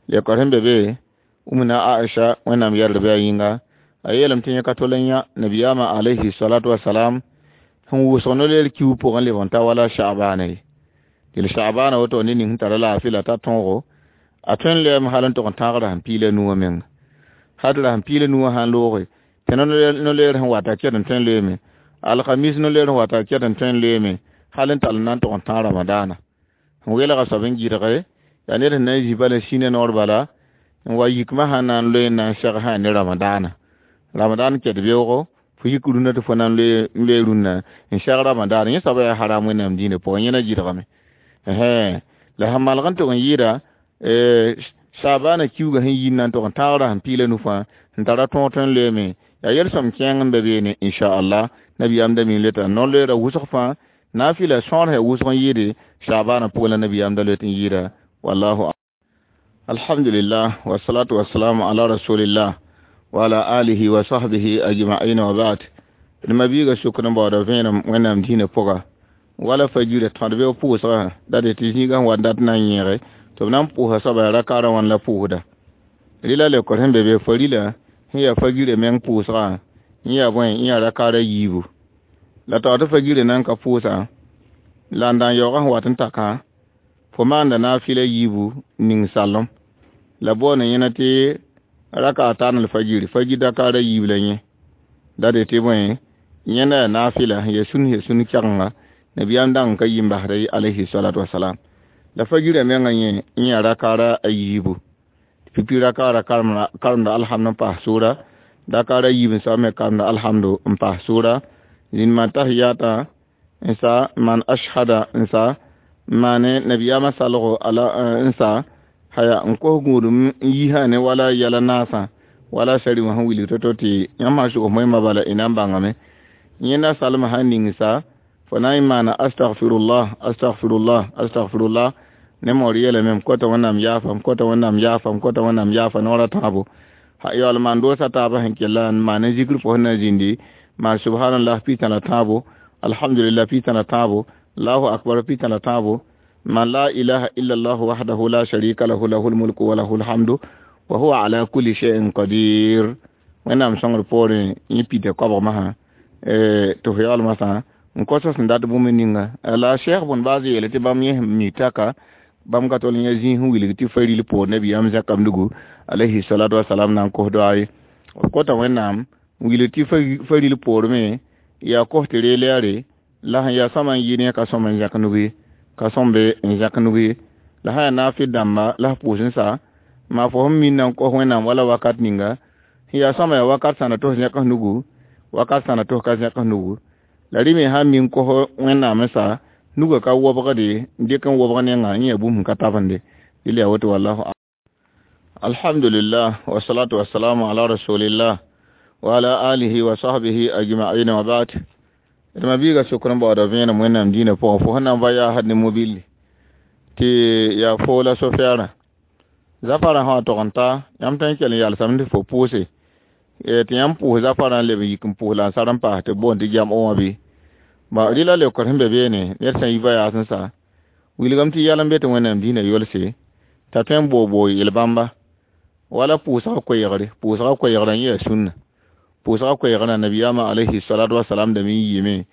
lekor sẽn be be Umna Aisha Wẽnnaam yɛrd bɩ a yĩnga a yeelame tɩ yẽ ka tol n yã nabiyaamã alayhi salatu wasalam sẽn wʋsg no-loeer kiug pʋgẽ leb n ta wala Sha'bana ye tɩ Sha'bana woto ned ning sẽn tara laafɩ la t'a tõogo a tõe n loeeme hal n tog n tãag rasem piig la nuwã menga hal rasem piig la nuwã sã n looge tɩ no-loeer sẽn wata kɛd n tõe n loeeme alhamis no-loeer sẽn wata kɛd n tõe n loeeme hal n tall n na n tog n tãag ramadaana sẽn welga soab n gɩdge yaa ned sẽn na n zĩ bala sĩna noor bala n wa yikmã sã na n loe n na n seg sã ne ramadaana ramadan kɛd beoogo fo yik rũnã tɩ fo na n loe rũnnã n seg ramadaana yẽ soaba yaa haram Wẽnnaam dĩinã pʋgẽ yẽ na gɩdgame la sẽn malg n tog n yɩɩda Saabana kiuga sẽn yir na n tog n tãag rasem piig la nu fãa sẽn tara tõog tõe n loeeme yaa yel-sõm kẽeng n be beene inchallah nabiyaam da mi n loeta no-loeera wʋsg fãa naafɩla sõor sã wʋsg n yɩɩde Saabana pʋgẽ la nabiyaam da loet n yɩɩda wallahu. Alhamdulillah wassalatu wassalamu ala rasulillah wa ala alihi wa sahbihi ajma'in wa ba'd. D ma-biiga sokr n baooda vẽenem Wẽnnaam dĩinã pʋga wala fajira tõd be pʋʋsgã da dɩ tɩ zĩigã sẽn wa dat na n yẽege tɩ b na n pʋʋsa soaba rakaarã wãn la pʋʋsda rɩla lekor sẽn be be farila sẽn yaa fajirã meng pʋʋsgã yẽ yaa bõe yẽ yaa rakaarã yiibu la taoor tɩ fajirã nan ka pʋʋsa la n da n yaoogã sẽn wat n takã fo maanda naafɩla yiibu ning salem la boone yẽna tɩ raka a taan l fajiri fajir dakaarã yiib la yẽ da dɩ tɩ bõe yẽnda yaa naafɩla sẽn yaa sũn kɛgenga nabiyaam dãng ka yi n basda alayhi salatu wasalam la fajirã mengã yẽ yã rakaara a yiibu pipi rakaara karemda alhamdu n paas sʋʋra dakaara yiib n soab me karemda alhamdu n paas sʋʋra zĩnd man tahiyata n sa man ashhada n sa maane nabiyaamã salgo ala n sa haya n kos gũudum n yisã ne wala yɛla naasã wala sari wã sẽn wilg to-to tɩ yãmb sã sʋgs moẽmã bala y na n bãngame yẽnda salmã sã n ning sa fo na n maana astaghfirullah astaghfirullah astaghfirullah ne maoor yeelame m kota Wẽnnaam yaafam kota Wẽnnaam yaafam kota Wẽnnaam yaafa noorã tãabo yaool maan doosa taabã sẽn kella n maan n zikr pʋsẽ na zĩndi maan subhanallah pita la tãabo alhamdulillah pita la tãabo allahu akbar pita la tãabo man la ilaha illa allah wahdahu la sharika lahu lahul mulku wa lahul hamdu wa huwa ala kulli shay'in qadir Wẽnnaam sõngr poorẽ yẽ pita koabg masã tɩ fo yaool masã n kos sẽn dat bũmb ninga la cheikh bõn baaz yeele tɩ bãmb yẽ sẽn mi taka Bãmb ka tol n yã zĩig sẽn wilg tɩ faril poor nabiyaam zẽkam nugu alayhi salatu wasalam na n kos doa ye. B kota Wẽnnaam n wilg tɩ faril poorme yaa kos tɩ reel yaare la sẽn yaa sõma n yɩ ne ka sõm n zẽk nug ye, ka sõmbe n zẽk nug ye. La sã yaa naafɩ dãmba la f pʋʋs n sa maa fo sẽn minna n kos Wẽnnaam wala wakat ninga sẽn yaa sõma yaa wakat sãna tɩ f zẽk f nugu, wakat sãna tɩ f ka zẽk f nugu. La rẽ me sã n min kos Wẽnnaam n sa nugã ka wobgde n dɩk n wobg nengã n yã bũmb sẽn ka tabende dɩl yaa woto wallahu. Alhamdulillah wasalatu wasalamu ala rasulillah wa ala alihi wa sahbihi ajma'in wa ba'd. D ma biiga sokr n baooda vẽenem Wẽnnaam dĩinã pʋgẽ fo sẽn na n va yaa had ne mobilli tɩ yaa fo la sofɛɛrã zafarã sã wa tog n ta yãmb tõe n kell n yalsame tɩ fo pʋʋse tɩ yãmb pʋʋs zafarã n leb n yik n pʋʋs la n sar n paas tɩ b boond tɩ jam'o wã bɩ ba rɩla leokr sẽn be beene ned sã n yi va yaas n sa wilgame tɩ yɛl n be tɩ Wẽnnaam dĩinã yolse t'a tõe n boog-boog yel-bãmba wala pʋʋsga koɛɛgre. Pʋʋsga koɛɛgrã yẽ yaa sũnna pʋʋsga koɛɛgrã nabiyaamã alayhi salatu wasalam dame n yiime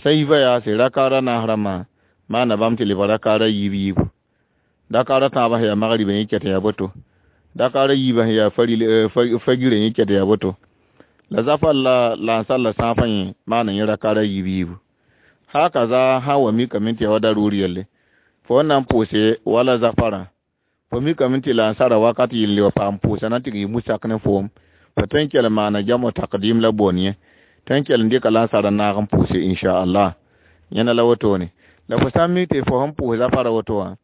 sã n yi va yaase rakaara naas rãmbã maana bãmb tɩ lebg rakaara yiib yiibu dakaara tãabã sẽn yaa magribã yẽ ket n yaa boto dakaara yiibã sẽn yaa fagirã yẽ ket yaa boto la zafar la lansar la sãafã yẽ maana yẽ rakaara yiib yiibu hakaza sã wa mikame tɩ yaa wa daruur yelle fo n na n pʋʋse wala zafarã fo mikame tɩ lansara wakat yɩl wa paam pʋʋsa na n tɩg yɩ musak ne foom fo tõe n kell n maana jamo takdim la boon yẽ tõe n kell n dɩka lansara naag n pʋʋse inchallah yẽna la wotone la fo sã n mik tɩ fo sẽn pʋʋs zafara woto wã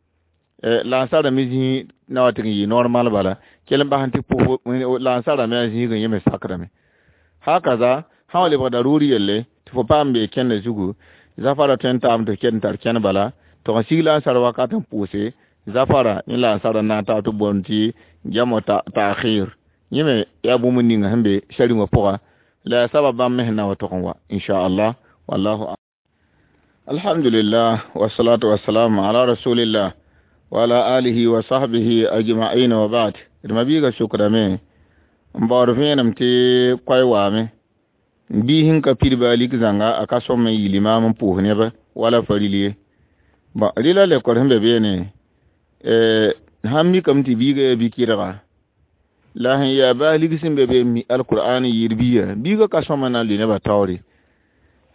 lansara me zĩig na wa tɩg n yɩ normal bala kell n bas n tɩ pʋs lansara me a zĩigẽ yẽ me sakrame hakaza sã wa lebg daruur yelle tɩ fo paam bee kẽndã zugu zafara tõe n taam tɩ ket n tar kẽn bala tɩ n sig lansar wakat n pʋʋse zafara yẽ lansara na n taab tɩ boond tɩ jamo ta'khir yẽ me yaa bũmb ninga sẽn be sari-wã pʋga la yaa sabab bãmb me sẽn na wa tog n wa inchallah wallahu. Alhamdulillah wasalatu wasalamu ala rasulillah wa ala alihi wa sahbihi ajma'in wa ba'd. D ma biiga sokrame n baood vẽenem tɩ koay waame bii sẽn ka pid baa lik zãnga a ka sõm n yɩ limaam n pʋʋs neb wala faril ye. Bɔn rɩla leokr sẽn be beene sãn mikame tɩ biiga yaa bi-kɩdga la sẽn yaa baa lig sẽn be be mi alkur'an yɩɩd biiga biiga ka sõm n na n lʋ nebã taoore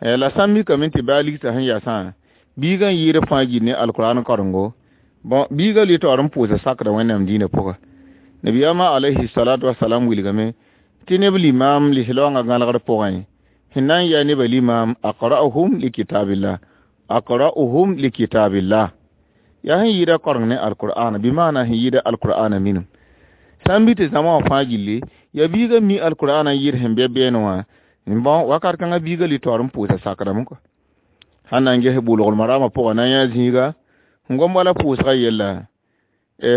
la sã n mikame tɩ baa ligsã sẽn yasã biiga n yɩɩd fãa gil ne alkur'an karengo bɔn biiga lʋɩ taoor n pʋʋsa sakda Wẽnnaam dĩinã pʋga nabiyaamã alayhi salatu wasalam wilgame tɩ neb limaam lislaoongã gãlgr pʋgẽ sẽn na n yaa nebã limaam aqra'uhum likitabillah aqra'uhum likitabillah yaa sẽn yɩɩda koreng ne alkur'ana bɩ maana sẽn yɩɩda alkur'ana minim sã n bɩ tɩ zãma wã fãa gilli yaa biiga mi alkur'ana n yɩɩd sẽn be beene wã bɔn wakat kãngã biiga lʋɩ taoor n pʋʋsa sakrame kɔ sãn na n ges bulgl marama pʋgã na n yã zĩiga n gom wala pʋʋsga yella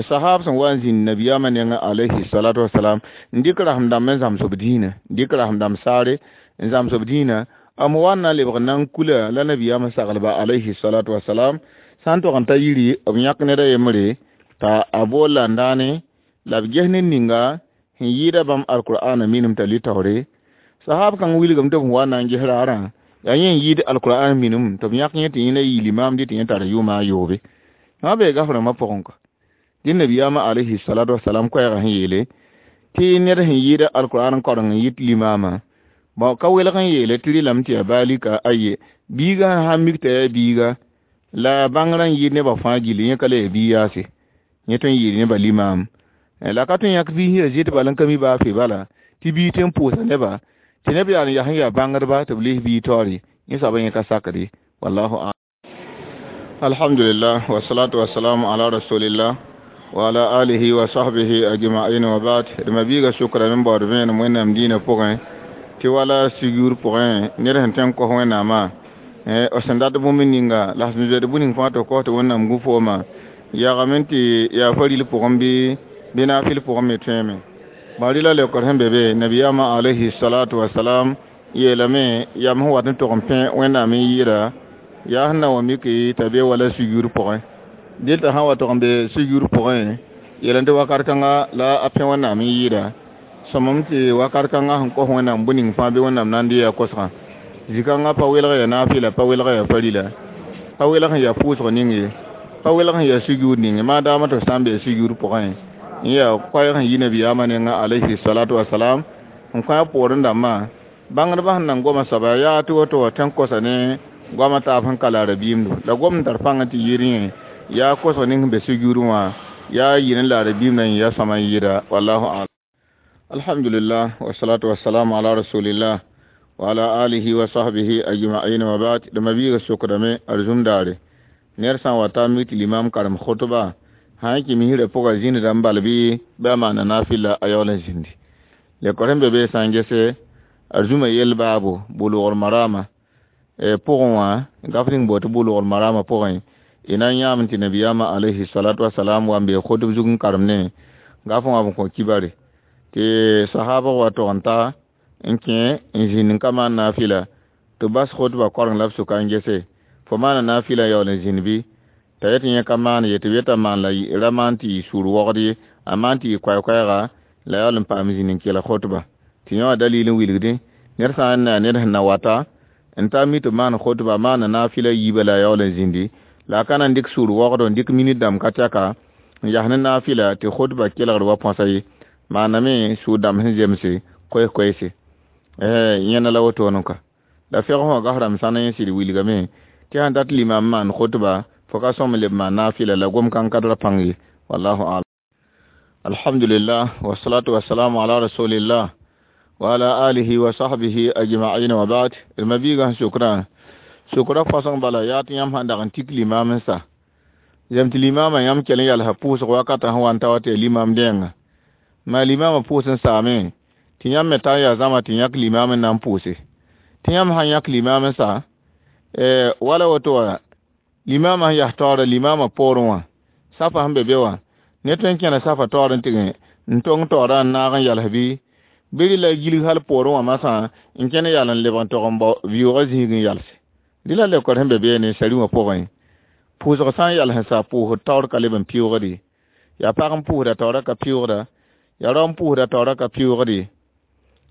sahab sẽn wa n zĩnd nabiyaamã nengã alayhi salatu wasalam n dɩk rasem dãmb n zãms b dĩinã dɩk rasem dãmb saare n zãms b dĩinã m wa n na n lebg na n kula la nabiyaamã saglba alayhi salatu wasalam sã n tog n ta yiri b yãk ned a yembre t'a a bool la n daane la b ges ned ninga sẽn yɩɩda bãmb alkur'ana minim t'a lʋɩ taoore sahab kãng wilgame tɩ b wa na n ges raarã yaa yẽ n yɩɩd alkur'an minim tɩ b yãk yẽ tɩ yẽ la yɩ limaam dɩ tɩ yẽ tar yʋʋma a yoobe wã bee gaf-rãmbã pʋgẽ kɔ dẽ nabiyaamã alayhi salatu wasalam koɛɛgã sẽn yeele tɩ ned sẽn yɩɩda alkur'an koreng n yit limaamã bɔn ka welg n yeele tɩ rɩlame tɩ yaa baalika aye biiga sãn mik t'a yaa biiga la bãngrã n yɩɩd nebã fãa gilli yẽ ka la yaa bi-yaase yẽ tõe n yɩɩd nebã limaam la ka tõe n yãk biis yaa zɩt bala n ka mi baa fe bala tɩ bii tõe n pʋʋsa neba tɩ neb yaa n yaa sẽn yaa bãngdba tɩ b les bii taoore yẽ soabã yẽ ka sakde wallahu a'lam. Alhamdulillah wasalatu wasalamu ala rasulillah wa ala alihi wa sahbihi ajma'in wa ba'd. D ma biiga sʋkra n baood vẽenem Wẽnnaam dĩinã pʋgẽ tɩ wala sugur pʋgẽ ned sẽn tõe n kos Wẽnnaamã b sẽn dat bũmb ninga la sẽn zoeed bũ ning fãa tɩ kos tɩ Wẽnnaam gu fooma yagame tɩ yaa faril pʋgẽ bɩ naafɩl pʋgẽ me tõeeme bã rɩla leokr sẽn be be nabiyaamã alayhi salatu wasalam yeelame yam sẽn wat n tog n pẽ Wẽnnaam n yɩɩda yaa sẽn na wa mik t'a be wala sugur pʋgẽ dɩl t'a sã wa tog n be sugur pʋgẽ yeel tɩ wakat kãnga la a pẽ Wẽnnaam n yɩɩda sõmem tɩ wakat kãngã sẽn kos Wẽnnaam bũ ning fãa bɩ Wẽnnaam na n dɩ yaa kosgã zĩ-kãngã pa welg yaa naafɩla pa welg yaa farila pa welg sẽn yaa pʋʋsg ning ye pa Pa welg sẽn yaa sugr ning maadaama tɩ f sã n bee sugr pʋgẽ n yaa koɛɛg sẽn yi nabiyaamã nengã alayhi salatu wasalam n kõ a poorẽ dãmbã bãngdbã sẽn nan goma soaba yaa tɩ woto wa tõe n kosa ne goamã taab sẽn ka la rabiimdo la gom n tar pãng tɩ yɩɩd yẽ yaa kosg ning sẽn be sugr wã yaa yɩ ne la rabiimdã yẽ yaa sõma n yɩɩda wallahu alam. Alhamdulillah wasalatu wassalamu ala rasulillah wa ala alihi wa sahbihi ajma'in wa ba'd. Dama biiga sokdame arzum daare ner sã n wa ta mik tɩ limam karem khutba sã n kɩ misrã pʋga zĩndda n bal bɩ bɩ a maana nafila a yaool n zĩndi lekor sẽn be be sã n gese arzumã yell baabo bulgr marama pʋgẽ wã gaf ning boot bulgr marama pʋgẽ y na n yãam tɩ nabiyaamã alayhi salatu wasalam wa n bee khutb zug n karem ne gaf wã b kõ kibare tɩ sahaba wa tog n ta n kẽ n zĩnd n ka maan nafila tɩ bas khutba koreng la b sʋka n gese fo maana nafila yaool n zĩnd bɩ t'a yet yẽ ka maan ye tɩ b yeta maan la ra maan tɩ yɩ sũur wogd ye a maan tɩ yɩ koɛɛ-koɛɛga la yaool n paam zĩnd n kelg khutba tɩ yẽ wã dalil n wilgdẽ ned sã n na ned sẽn na wata n ta mi tɩ maan khutba maana nafila yiibã la a yaool n zĩndi la a ka na n dɩk sũur wogdo n dɩk minit dãmb ka tɛka n yas ne nafila tɩ khutba kelgd wa põsa ye maaname sũur dãmb sẽn zemse koɛs-koɛɛse yẽna la wotone ka la fɛg wã gas rãmb sãn yẽ sɩd wilgame tɩ sãn dat limam maan khutba fo ka sõm leb maan nafila la gom kãng ka tara pãng ye wallahu alam. Alhamdulillah wasalatu wassalamu ala rasulillah wa ala alihi wa sahbihi ajma'in wa ba'd. Ma biiga sẽn sʋkrã sʋkrã fõsg bala yaa tɩ yãmb sãn dag n tik limam n sa zem tɩ limamã yãmb kell n yalsa pʋʋsg wakata sẽn wa n ta wa tɩ yaa limam dẽenga maa limamã pʋʋs n saame tɩ yãmb me ta n yaa zãma tɩ yãk limam n na n pʋʋse tɩ yãmb sãn yãk limam n sa wala woto wã limamã sẽn yas taoorã limamã poorẽ wã safa sẽn be be wã ne tõe n kẽna safa taoor n tɩg n tong taoorã n naag n yals bɩ bɩ rɩla gilg hal poorẽ wã masã n kẽn yal n leb n tog n bao vɩʋʋgã zĩig n yalse rɩla lekor sẽn be beene sari wã pʋgẽ pʋʋsg sã n yals n sa pʋʋsd taoor ka leb n pɩʋʋgd yaa pag n pʋʋsda taoorã ka pɩʋʋgda yaa rao n pʋʋsda taoorã ka pɩʋʋgd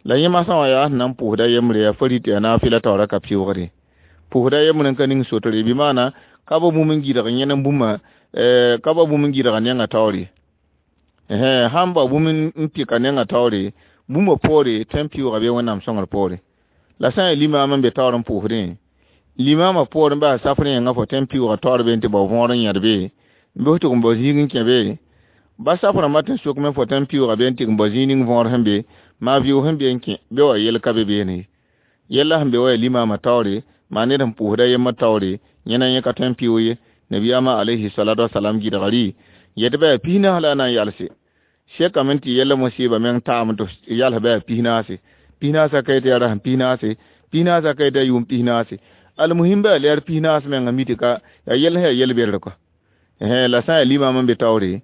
la yẽ masã wã yaa sẽn na n pʋʋsda yembre yaa fa rɩt yaa nafila taoorã ka pɩʋʋgd pʋʋsda yembre n ka ning sotre bɩ maana ka ba bũmb n gɩdg yẽn n bũmba ka ba bũmb n gɩdga nengã taoore sãn ba bũmb n pɩka nengã taoore bũmba poore tõe n pɩʋʋga bɩ wẽnnaam sõngr poore la sã n yaa limaam n be taoor n pʋʋsdẽ limaamã poorẽ baa safrẽ yẽngã fo tõe n pɩʋʋga taoor be n tɩ bao võor n yẽd be n bɩ f tɩg n bao zĩig n kẽ be ba safrãmbã tɩ sokme fo tõe n pɩʋʋga be n tɩg n bao zĩig ning võor sẽn be maa vɩʋʋg sẽn be n kẽ be wa yel ka be beene yella sẽn be wa yaa limaamã taoore maa ned sẽn pʋʋsda yembr taoore yẽna yẽ ka tõe n pɩʋʋg ye nabiyaamã alayhi salatu wasalam gɩdga rɩ yet bɩ yaa pisnaas la a na n yalse sekame tɩ yella musɩɩba meng taam tɩ yals bɩ yaa pisnaase pisnaasã ka tɩ yaa rasem pisnaase pisnaasã ka tɩ yaa yʋʋm pisnaase almuhim bɩ yaa lɛɛr pisnaas menga mi tɩ ka yaa yell sẽn yaa yel-bɛdr kɔ la sã n yaa limaam n be taoore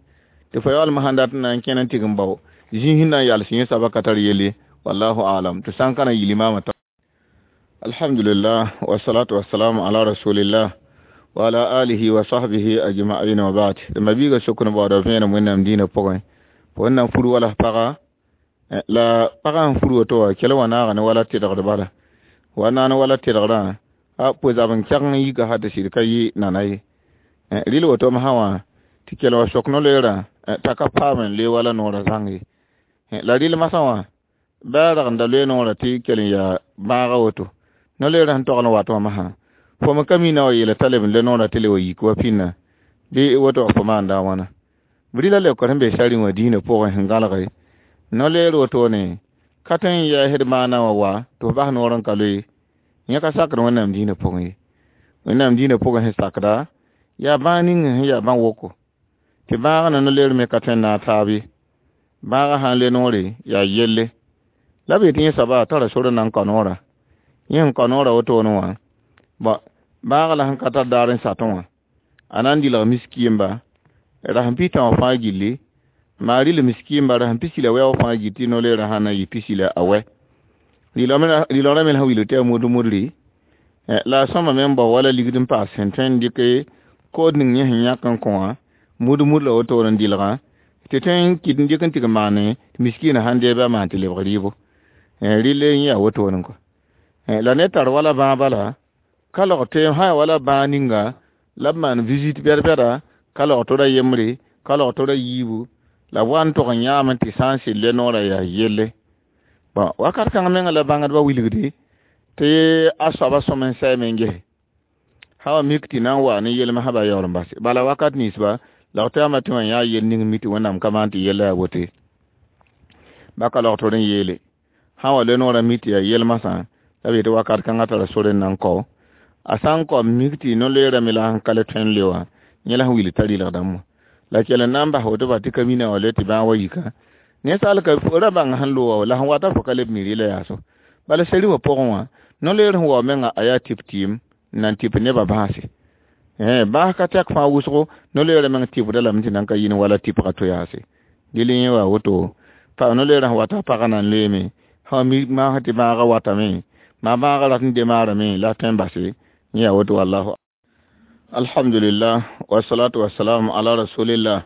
tɩ fo yaoolem sãn dat n na n kẽn n tɩg n bao zĩig sẽn na n yals yẽ soaba ka tar yelle wallahu alam tɩ sã n ka na n yɩ limaamã ta. Alhamdulillah wasalatu wassalamu ala rasulillah wa ala alihi wa sahbihi ajma'in wa ba'd. Ma biiga sokr n baooda vẽenem wẽnnaam dĩinã pʋgẽ fo n na n fur wala paga la pagã sẽn fur woto wã kell wa naaga ne wala tɩdgd bala wa naag ne wala tɩdgdã a pʋ-zab n kɛg n yika sã tɩ sɩd ka yɩ nana ye rɩl wotom sã wã tɩ kell wa sok no-loeerã t'a ka paam n loe wala noorã zãng ye la rɩl masã wã bɩ a rag n da loe noorã tɩ kell n yaa bãaga woto no-loeerã sẽn togl n wat wã masã fo me ka mina wa yeela t'a leb n le noorã tɩ le wa yik wa pĩnna bɩ woto wã fo maanda a wãna rɩla lekor sẽn be sari wã dĩinã pʋgẽ sẽn gãlge no-loeer wotone ka tõe n yɛɛsd maana wã wa tɩ f bas noor n ka loe yẽ ka sakd wẽnnaam dĩinã pʋgẽ ye wẽnnaam dĩinã pʋgẽ sẽn sakda yaa bãag ning sẽn yaa bãn woko tɩ bãag na no-loeer me ka tõe n naag taab ye bãagã sã n le noore yaa yelle la b yetɩ yẽ soaba a tara sor n na n kao noorã yẽ sẽn kao noorã wotone wã bõ bãagã la sẽn ka tar daar n satẽ wã a na n dɩlg miskiimba rasem pistã wã fãa gilli maa rɩl miskiimba rasem pisi la wɛ wã fãa gil tɩ no-loeerã sã na n yɩ pisi la a wɛ rɩlgrã me sẽn wilg tɩ yaa mud-mudri la a sõma me n bao wala ligd n paas sẽn tõe n dɩk kood ning yẽ sẽn yãk n kõ wã mud-mud la wotone n dɩlgã tɩ tõe n kɩt n dɩk n tɩg maane tɩ miskiinã sãn dee bɩ a maan tɩ lebg rɩɩbo rɩl yẽ yaa wotone kɔ la ne tar wala bãag bala ka log tɩ sã yaa wala bãag ninga la b maan visite bɛd-bɛda Ka log tora yembre, ka log tora yiibu, la b wa n tog n yãame tɩ sã n sɩd le noorã yaa yelle. Bõn, wakat kãng menga la bãngdbã wilgde tɩ a soaba sõm n sɛɛme n gese. Sã wa mik tɩ na n waa ne yelmsã ba yaool n base. Bala wakat ninsba, la tɩ yãmba tɩ wã yãa yel ning mi tɩ Wẽnnaam ka maan tɩ yella yaa woto ye. Ba ka log tɩ n yeele. Sã n wa le noorã mi tɩ yaa yelmsã, la b yetɩ wakat kãngã tara sore n na n kao. A sã n kao mik tɩ no-loeerã me la sẽn ka le tõe n le wã, yẽ la sẽn wilg t'a rɩlgdame wã. La kell n na n bas woto ba tɩ ka mina wã le tɩ bãag wa yika. Ninsaal ka fo ra bãng sẽn loog wa, la sẽn wata fo ka leb mi rɩla yaa so. Bala seri wã pʋgẽ wã, no-loeer sẽn wa menga a yaa tɩp tɩɩm n na n tɩp nebã bãase. Bãas ka tɛk fãa wʋsgo, no-loeerã meng tɩpda lame tɩ nan ka yĩn wala tɩpga to yaase. Dɩl yẽ wa woto, no-loeerã sẽn wata pagã na n loeeme, sã mi maas tɩ bãagã watame, maa bãagã rat n demaarame la a tõe n base, yẽ yaa woto wallahu. Alhamdulillah, wassalatu wassalamu ala rasulillah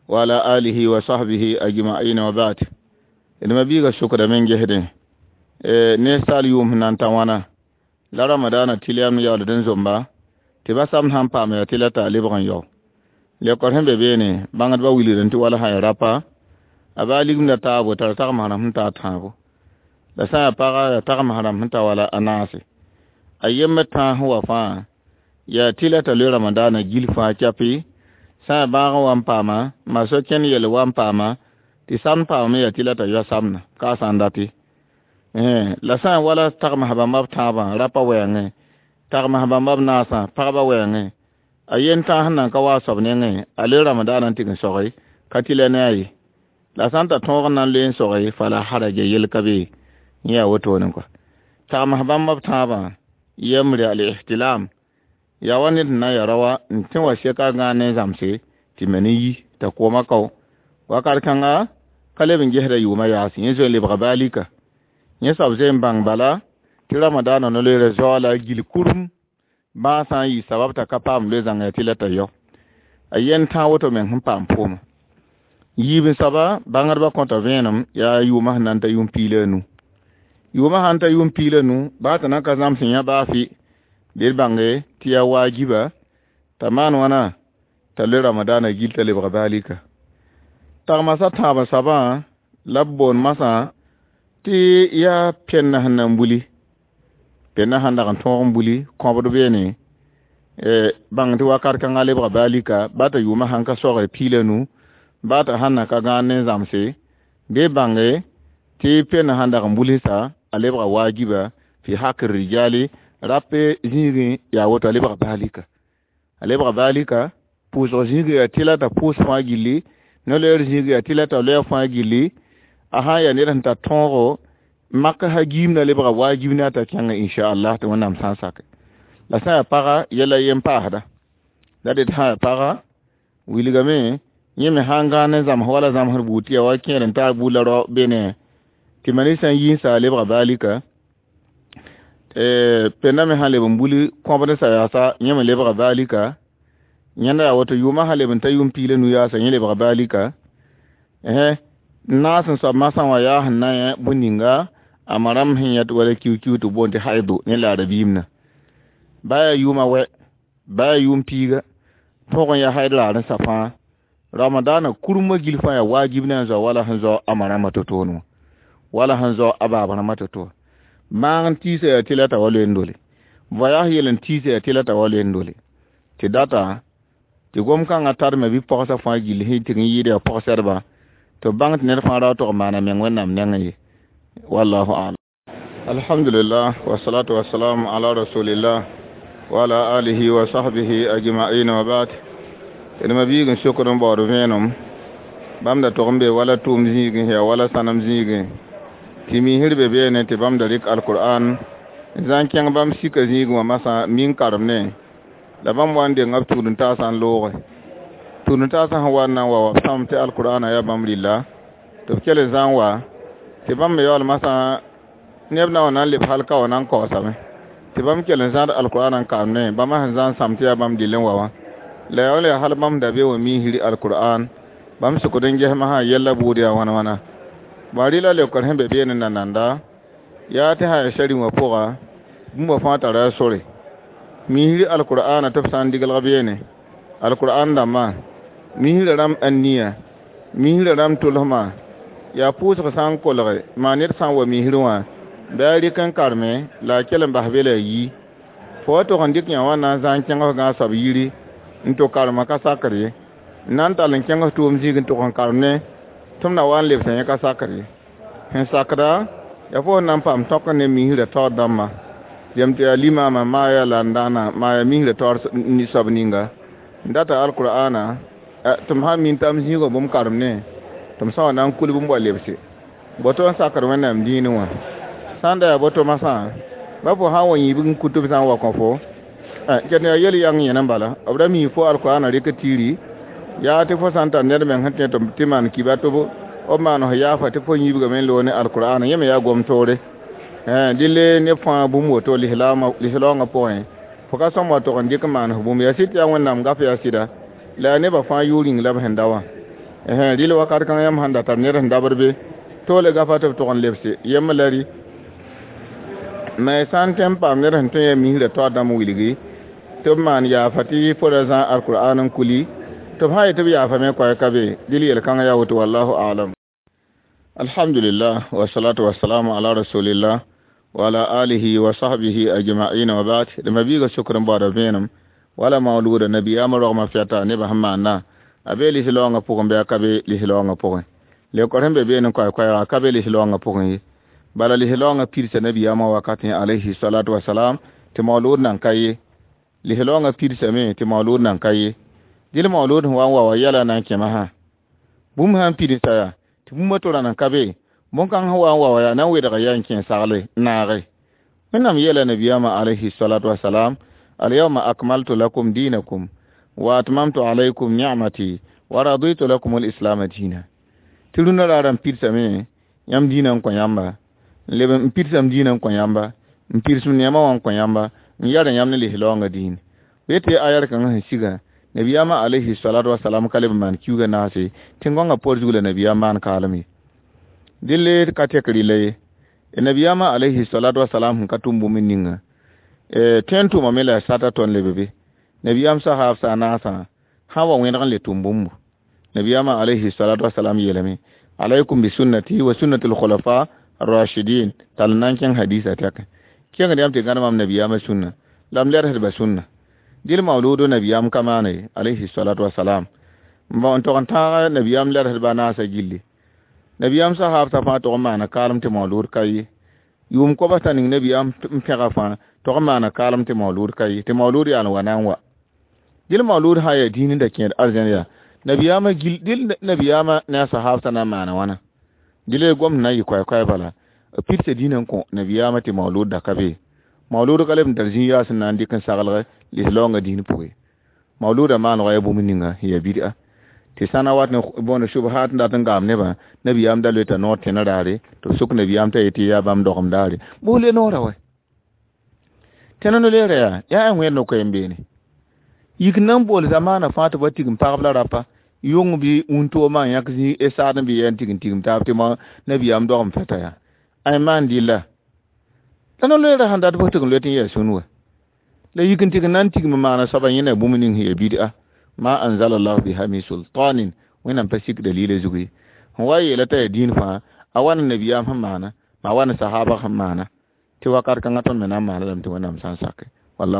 wa ala alihi wa sahbihi ajma'in wa ba'd. D ma biiga sʋkdame n gesdẽ ninsaal yʋʋm sẽn na n ta wãna la ramadana tɩlyam yaooled n zomba tɩ ba sam sãn paam yaa tɩ la t'a lebg n yao. Lekor sẽn be beene bãngdbã wilgdẽ tɩ wala sã ya rapa a baa ligimda taabo tara tagms rãmb sẽn taa tãabo. La sã yaa paga yaa tagms rãmb sẽn ta wala a naase. A yembr tãas sẽn wa fãa yaa tɩ la t'a loe ramadaana gil fãa kyapi, sã yaa bãag n wa n paama, ma so kẽnd yel wa n paama, tɩ samd paamame yaa tɩ la t'a yao samda, ka a sã n date. La sã n wala tagms bãmba b tãabã rapa wɛɛngẽ, tagms bãmba b naasã pagba wɛɛngẽ, a yen tãas sẽn nan ka wa a soab nengẽ, a loe ramadaana n tɩg n soge, ka tɩ la ne a ye. La sã n ta tõog n na n loe n soge, fala haraja yel ka be, yẽ yaa wotone kɔa. Tagms bãmba b tãabã yembre al-ihtilam, yaa wa ned sẽn na n ya raoã n tẽ wa seka a gãan ne zãmse tɩ me ne yi t'a koomã kao. Wakat kãnga ka leb n gesda yʋʋmã yaase, yẽ zoe n lebga baalika. Yẽ soab zoe n bãng bala tɩ ramadaana no-loeerã zao la a gil kurum bãag sã n yɩ sabab t'a ka paam loe zãnga yaa tɩ la t'a yao. A yen tãag woto meng sẽn paam pʋʋmã. Yiib n soaba bãngdbã kõta vẽenem yaa yʋʋmã sẽn na n ta yʋʋm piig la a nu. Yʋʋmã sã n ta yʋʋm piig la nu, baa tɩ nan ka zãms n yã baa fɩ, bɩ d bãnge tɩ yaa waajiba t'a maan wãna t'a loe ramadaana gil t'a lebga baalika. Tagmsã tãab soabã la b boond masã tɩ yaa pẽnna sẽn na n buli, pẽnna sãn dag n tõog n buli kõbd beene, bãng tɩ wakat kãngã lebga baalika, baa t'a yʋʋmã sãn ka soagre piig la nu, baa t'a sãn na ka gãan ne zãmse, bɩ bãnge tɩ pẽnna sãn dag n bulsa a lebga waajiba fi hak rijali rape zĩigẽ yaa woto a lebga baalika. A lebga baalika pʋʋsg zĩigẽ yaa tɩ la t'a pʋʋs fãa gilli, no-loeer zĩigẽ yaa tɩ la t'a loɛɛ fãa gilli, a sã n yaa ned sẽn tar tõogo mak sã giimda lebga waajib ne a t'a kẽnga inchallah tɩ Wẽnnaam sã n sake. La sã n yaa paga yɛla yen paasda. La dɩt sã n yaa paga wilgame yẽ me sã n gãan ne zãms wala zãmsd buud tɩ yaa wa kẽer n taar buud la rao bene tɩ mani sã n yi n sa a lebga baalika. Pẽnda me sã n leb n buli kõbd sa yaasa yẽ me lebga baalika. Yẽnda yaa woto yʋʋmã sã leb n ta yʋʋm piig la nu yaasa yẽ lebga baalika. Naas n soab masã wã yaa sẽn na yẽ bõe-ninga a ma rãmb sẽn yãt wala kiu-kiu tɩ boond tɩ haido ne la arabiimna. Baa yaa yʋʋmã wɛ, baa yaa yʋʋm piiga, tõog n yaa haid raar n sa fãa. Ramadaana kurmã gil fãa yaa waajib ne a zoa wala sẽn zao a ma rãmbã to-toone wã, wala sẽn zao a baab rãmbã to-to wã. Maag n tiisa yaa tɩ la t'a wa loe n dole. Voyage yel n tiisa yaa tɩ la t'a wa loe n dole. Tɩ data tɩ gom-kãngã tarme bɩ pɔgsã fãa gilli sẽn tɩg n yɩɩd yaa pɔgsɛdba tɩ b bãng tɩ ned fãa ra tog n maana meng Wẽnnaam nengẽ ye. Wallahu a'lam. Alhamdulillah, wassalatu wassalamu ala rasulillah wa ala alihi wa sahbihi ajma'in wa ba'd. D ma biig n sokd n baood vẽenem bãmb da tog n be wala tʋʋm zĩigẽ yaa wala sãnem zĩigẽ tɩ miisr be beene tɩ bãmb da rɩk alqur'an n zã n kẽng bãmb sika zĩigẽ wã masã min karem ne la bãmb wa n denga b tũud n taasã n looge. Tũud n taasã sẽn wa n na n wa wa b sãam tɩ alqur'ana yaa bãmb rɩlla tɩ b kell n zã n wa tɩ bãmb me yaool masã neb na wa na n leb hal ka wa na n kaoosame tɩ bãmb kell n zãad alqur'ana n kaam ne bãmb sẽn zã n sãam tɩ yaa bãmb dɩll n wa wã. La yaa wala yaa hal bãmb da be wã miisr alqur'an bãmb sʋkd n ges masã yɛlla buud yaa wãn wãna. Bõe rɩla leokr sẽn be beene nananda yaa tɩ sã yaa sari wã pʋga bũmba fãa tara a sore. Miisr alqur'ana tɩ b sã n diglg beene Alqur'an dãmbã misrã rãmb ãn-nia misrã rãmb tʋlsmã yaa pʋʋsg sã n kolge maa ned sã n wa misr wã bɩ a rɩk n karme la a kell n bas be la a yi fo wa tog n dɩk yã wã na n zãng kẽng f gãag soab yiri n tʋ karemã ka sakr ye n na n tall n kẽng f tʋʋm zĩig n tʋg n karem ne tɩ m na wa n lebsã yẽ ka sakr ye sẽn sakda yaa fo sẽn na n paam tõk ne misrã taoor dãmbã yem tɩ yaa limaamã maa yaa la n dãana maa yaa misrã taoor soab ninga n data alqur'ana tɩ m sã n min t'a m zĩigã bũmb karem ne tɩ m sã wa na n kulb n wa lebse boto n sakd wẽnnaam dĩinẽ wã sã n da yaa boto masã ba fo sã n wa yĩibg n kut b sã n wa kõ fo ket yaa yel yang yẽna n bala b ra mi fo alqur'ana rɩk tiiri yaa tɩ fo sã n tar ned meng sẽn tẽ tɩ maan kiba tɩ b maan f yaafa tɩ fo yĩibgame n loog ne alqur'ana yẽ me yaa gom-toore dɩle neb fãa bũmb woto lislaoongã pʋgẽ fo ka sõm wa tog n dɩk n maan f bũmb yaa sɩd tɩ yaa wẽnnaam gaf yaa sɩda la yaa nebã fãa yʋʋr yĩng la b sẽn da wã rɩl wakat kãng yãmb sẽn da tar ned sẽn dabd be toole gafa tɩ b tog n lebse yembr la rɩ me sã n tõe n paam ned sẽn tõe yaa misrã taoor dãmb wilgi tɩ b maan yaafa tɩ fo ra zã alqur'an n kuli tɩ b sã n yet tɩ b yaafame koɛɛg ka be dɩl yel-kãngã yaa woto wallahu alam. Alhamdulillah wasalatu wasalamu ala rasulillah wa ala alihi wa sahbihi ajma'in wa ba'd. D mabiiga sokr n baoodã vẽenem wala maoluuda nabiyaamã rogmã fɛta nebã sẽn maanda a bee lislaoongã pʋgẽ bɩ a ka be lislaoongã pʋgẽ leokor sẽn be beene n koɛɛ-koɛɛga a ka be lislaoongã pʋgẽ ye bala lislaoongã pidsa nabiyaamã wakatẽ alayhi salatu wasalam tɩ maoluud nan ka ye lislaoongã pidsame tɩ maoluud nan ka ye dɩl maoluud sẽn wa n wa wa yɛla na n kẽma sã bũmb sã n pidsa yaa tɩ bũmb to ra nan ka be bõn-kãng sẽn wa n wa wa yaa na n wedga yaa n kẽ sagle n naage wẽnnaam yeela nabiyaamã alayhi salatu wasalam alyawma akmaltu lakum dinakum wa atmamtu alaykum ni'mati wa raditu lakum alislama dina tɩ rũnã raarã n pidsame yãmb dĩinã n kõ yãmba n leb n pidsam dĩinã n kõ yãmba n pidsem neemã wã n kõ yãmba n yar yãmb ne lislaoongã dĩin b tɩ ayar kãngã sẽn siga nabiyaamã alayhi salatu wasalam ka leb n maan kiuugã naase tẽn-gõngã por zug la nabiyaam maan kaalem ye dɩl ka tek rɩla ye nabiyaamã alayhi salatu wasalam sẽn ka tʋm bũmb ninga tõe n tʋmame la a sata tõnd leb be nabiyaam sahaab sa naasã sã wa wẽneg n le tʋm bũmbu nabiyaamã alayhi salatu wasalam yeelame alaykum bi sunnati wa sunnati alkhulafa arrashidin tall na n kẽng hadisa tɛke kẽngd yãmb tɩ gãd mam nabiyaamã sũnna la m ledsdba sũnna dɩl maoluudo nabiyaam ka maana ye alayhi salatu wasalam n tog n tãag nabiyaam ledsdba naasã gilli nabiyaam sahaab t'a fãa tog n maana kaalem tɩ maoluud ka ye yʋʋm koabs t'a ning nabiyaam n pẽga fãa tog n maana kaalem tɩ maoluud ka ye tɩ maoluud yaa n wa na n wa dɩl maoluud sã n yaa dĩin n da kẽed arzẽn yaa nabiyaamã gil dɩl nabiyaamã ne a sahaab t'a na n maana wãna dɩl gom na n yɩ koɛɛ-koɛɛ bala b pidsa dĩinã n kõ nabiyaamã tɩ maoluud da ka be maoluud ka leb n tar zĩig yaas n na n dɩk n saglg lislaoongã dĩin pʋgẽ maoluudã maanegã yaa bũmb ninga sẽn yaa bid'a tɩ sã na wat ne bõond subhaat n dat n gaam nebã nabiyaam da loeta noor tẽna raare tɩ b sʋk nabiyaam t'a yetɩ yaa bãmb dogem daare bʋs le noorã wa tẽna no-leerã yaa yaa wẽed no-koɛɛm beene yik n na n bool zamaanã fãa tɩ b wa tigim pagb la rapa yʋng bɩ wũntoomã n yãk zĩ saad n bɩ yaa n tigim tigim taab tɩ nabiyaam dogem fɛta yaa ay maan dɩlla la no-leerã sẽn dat bʋs tɩg n loet n yaa sũn wa la yik n tɩg n na n tigim n maana soaba yẽna bũmb ning sẽn yaa bid'a ma anzalallahu biha min sultanin wẽnnaam pa sik dalila zug ye sẽn wa yeela t'a yaa dĩin fãa a wa ne nabiyaam sẽn maana ma wa ne sahaba sẽn maana tɩ wakat kãngã tõnd me na n maana lame tɩ wẽnnaam sã n sake wallah.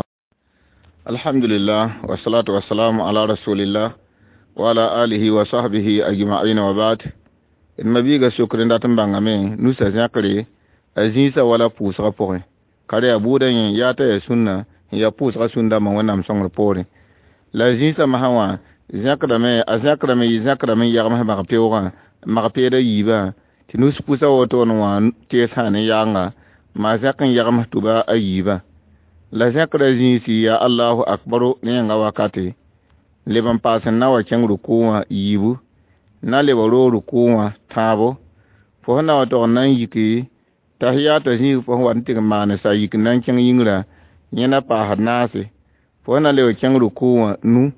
Alhamdulillah wasalatu wasalamu ala rasulillah wa ala alihi wa sahbihi ajma'in wa ba'd. D mabiiga sokr n dat n bãngame nusa zẽkre a zĩisã wala pʋʋsgã pʋgẽ ka yaa buudã yẽ yaa t'a yaa sũnna n yaa pʋʋsgã sũn-dãmbã wẽnnaam sõngr poorẽ la zĩisã masã wã zẽkdame a zẽkdame yɩ zẽkdame n yagms mag-peoogã mag-peedã yiibã tɩ nus pʋsã wotone wã teesã ne yaanga maa zẽk n yagms tʋba a yiibã la zẽkdã zĩisi yaa allahu akbaru ne yẽnga wakate leb n paas n na wa kẽng rukʋ wã yiibu na leb roog rukʋ wã tãabo fo sẽn na wa tog n na n yiki tahiyata zĩig fo sẽn wat n tɩg n maan sa yik n na n kẽng yĩngrã yẽ na paasd naase fo sẽn na leb kẽng rukʋ wã nu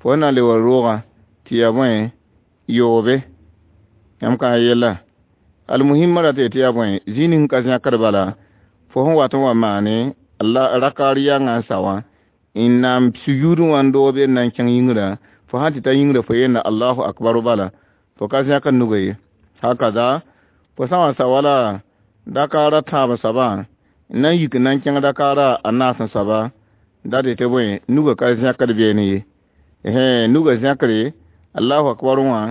fo sẽn na leb roogã tɩ yaa bõe yoobe yãmb kã yella almuhimã ra tɩ tɩ yaa bõe zĩig ning ka zẽkd bala fo sẽn wat n wa maane rakaar yãngã n sa wã n na n sujuudẽ wã n doog be n na n kẽng yĩngrã fo sã tɩ ta yĩngrã fo yeelna allahu akbaru bala fo ka zẽkd nugã ye hakaza fo sã n wa sa wala dakaara tãab soabã n na n yik n na n kẽng dakaara a naas n soaba dat tɩ bõe nugã ka zẽkd beene ye nugã zẽkre allahu akbar wã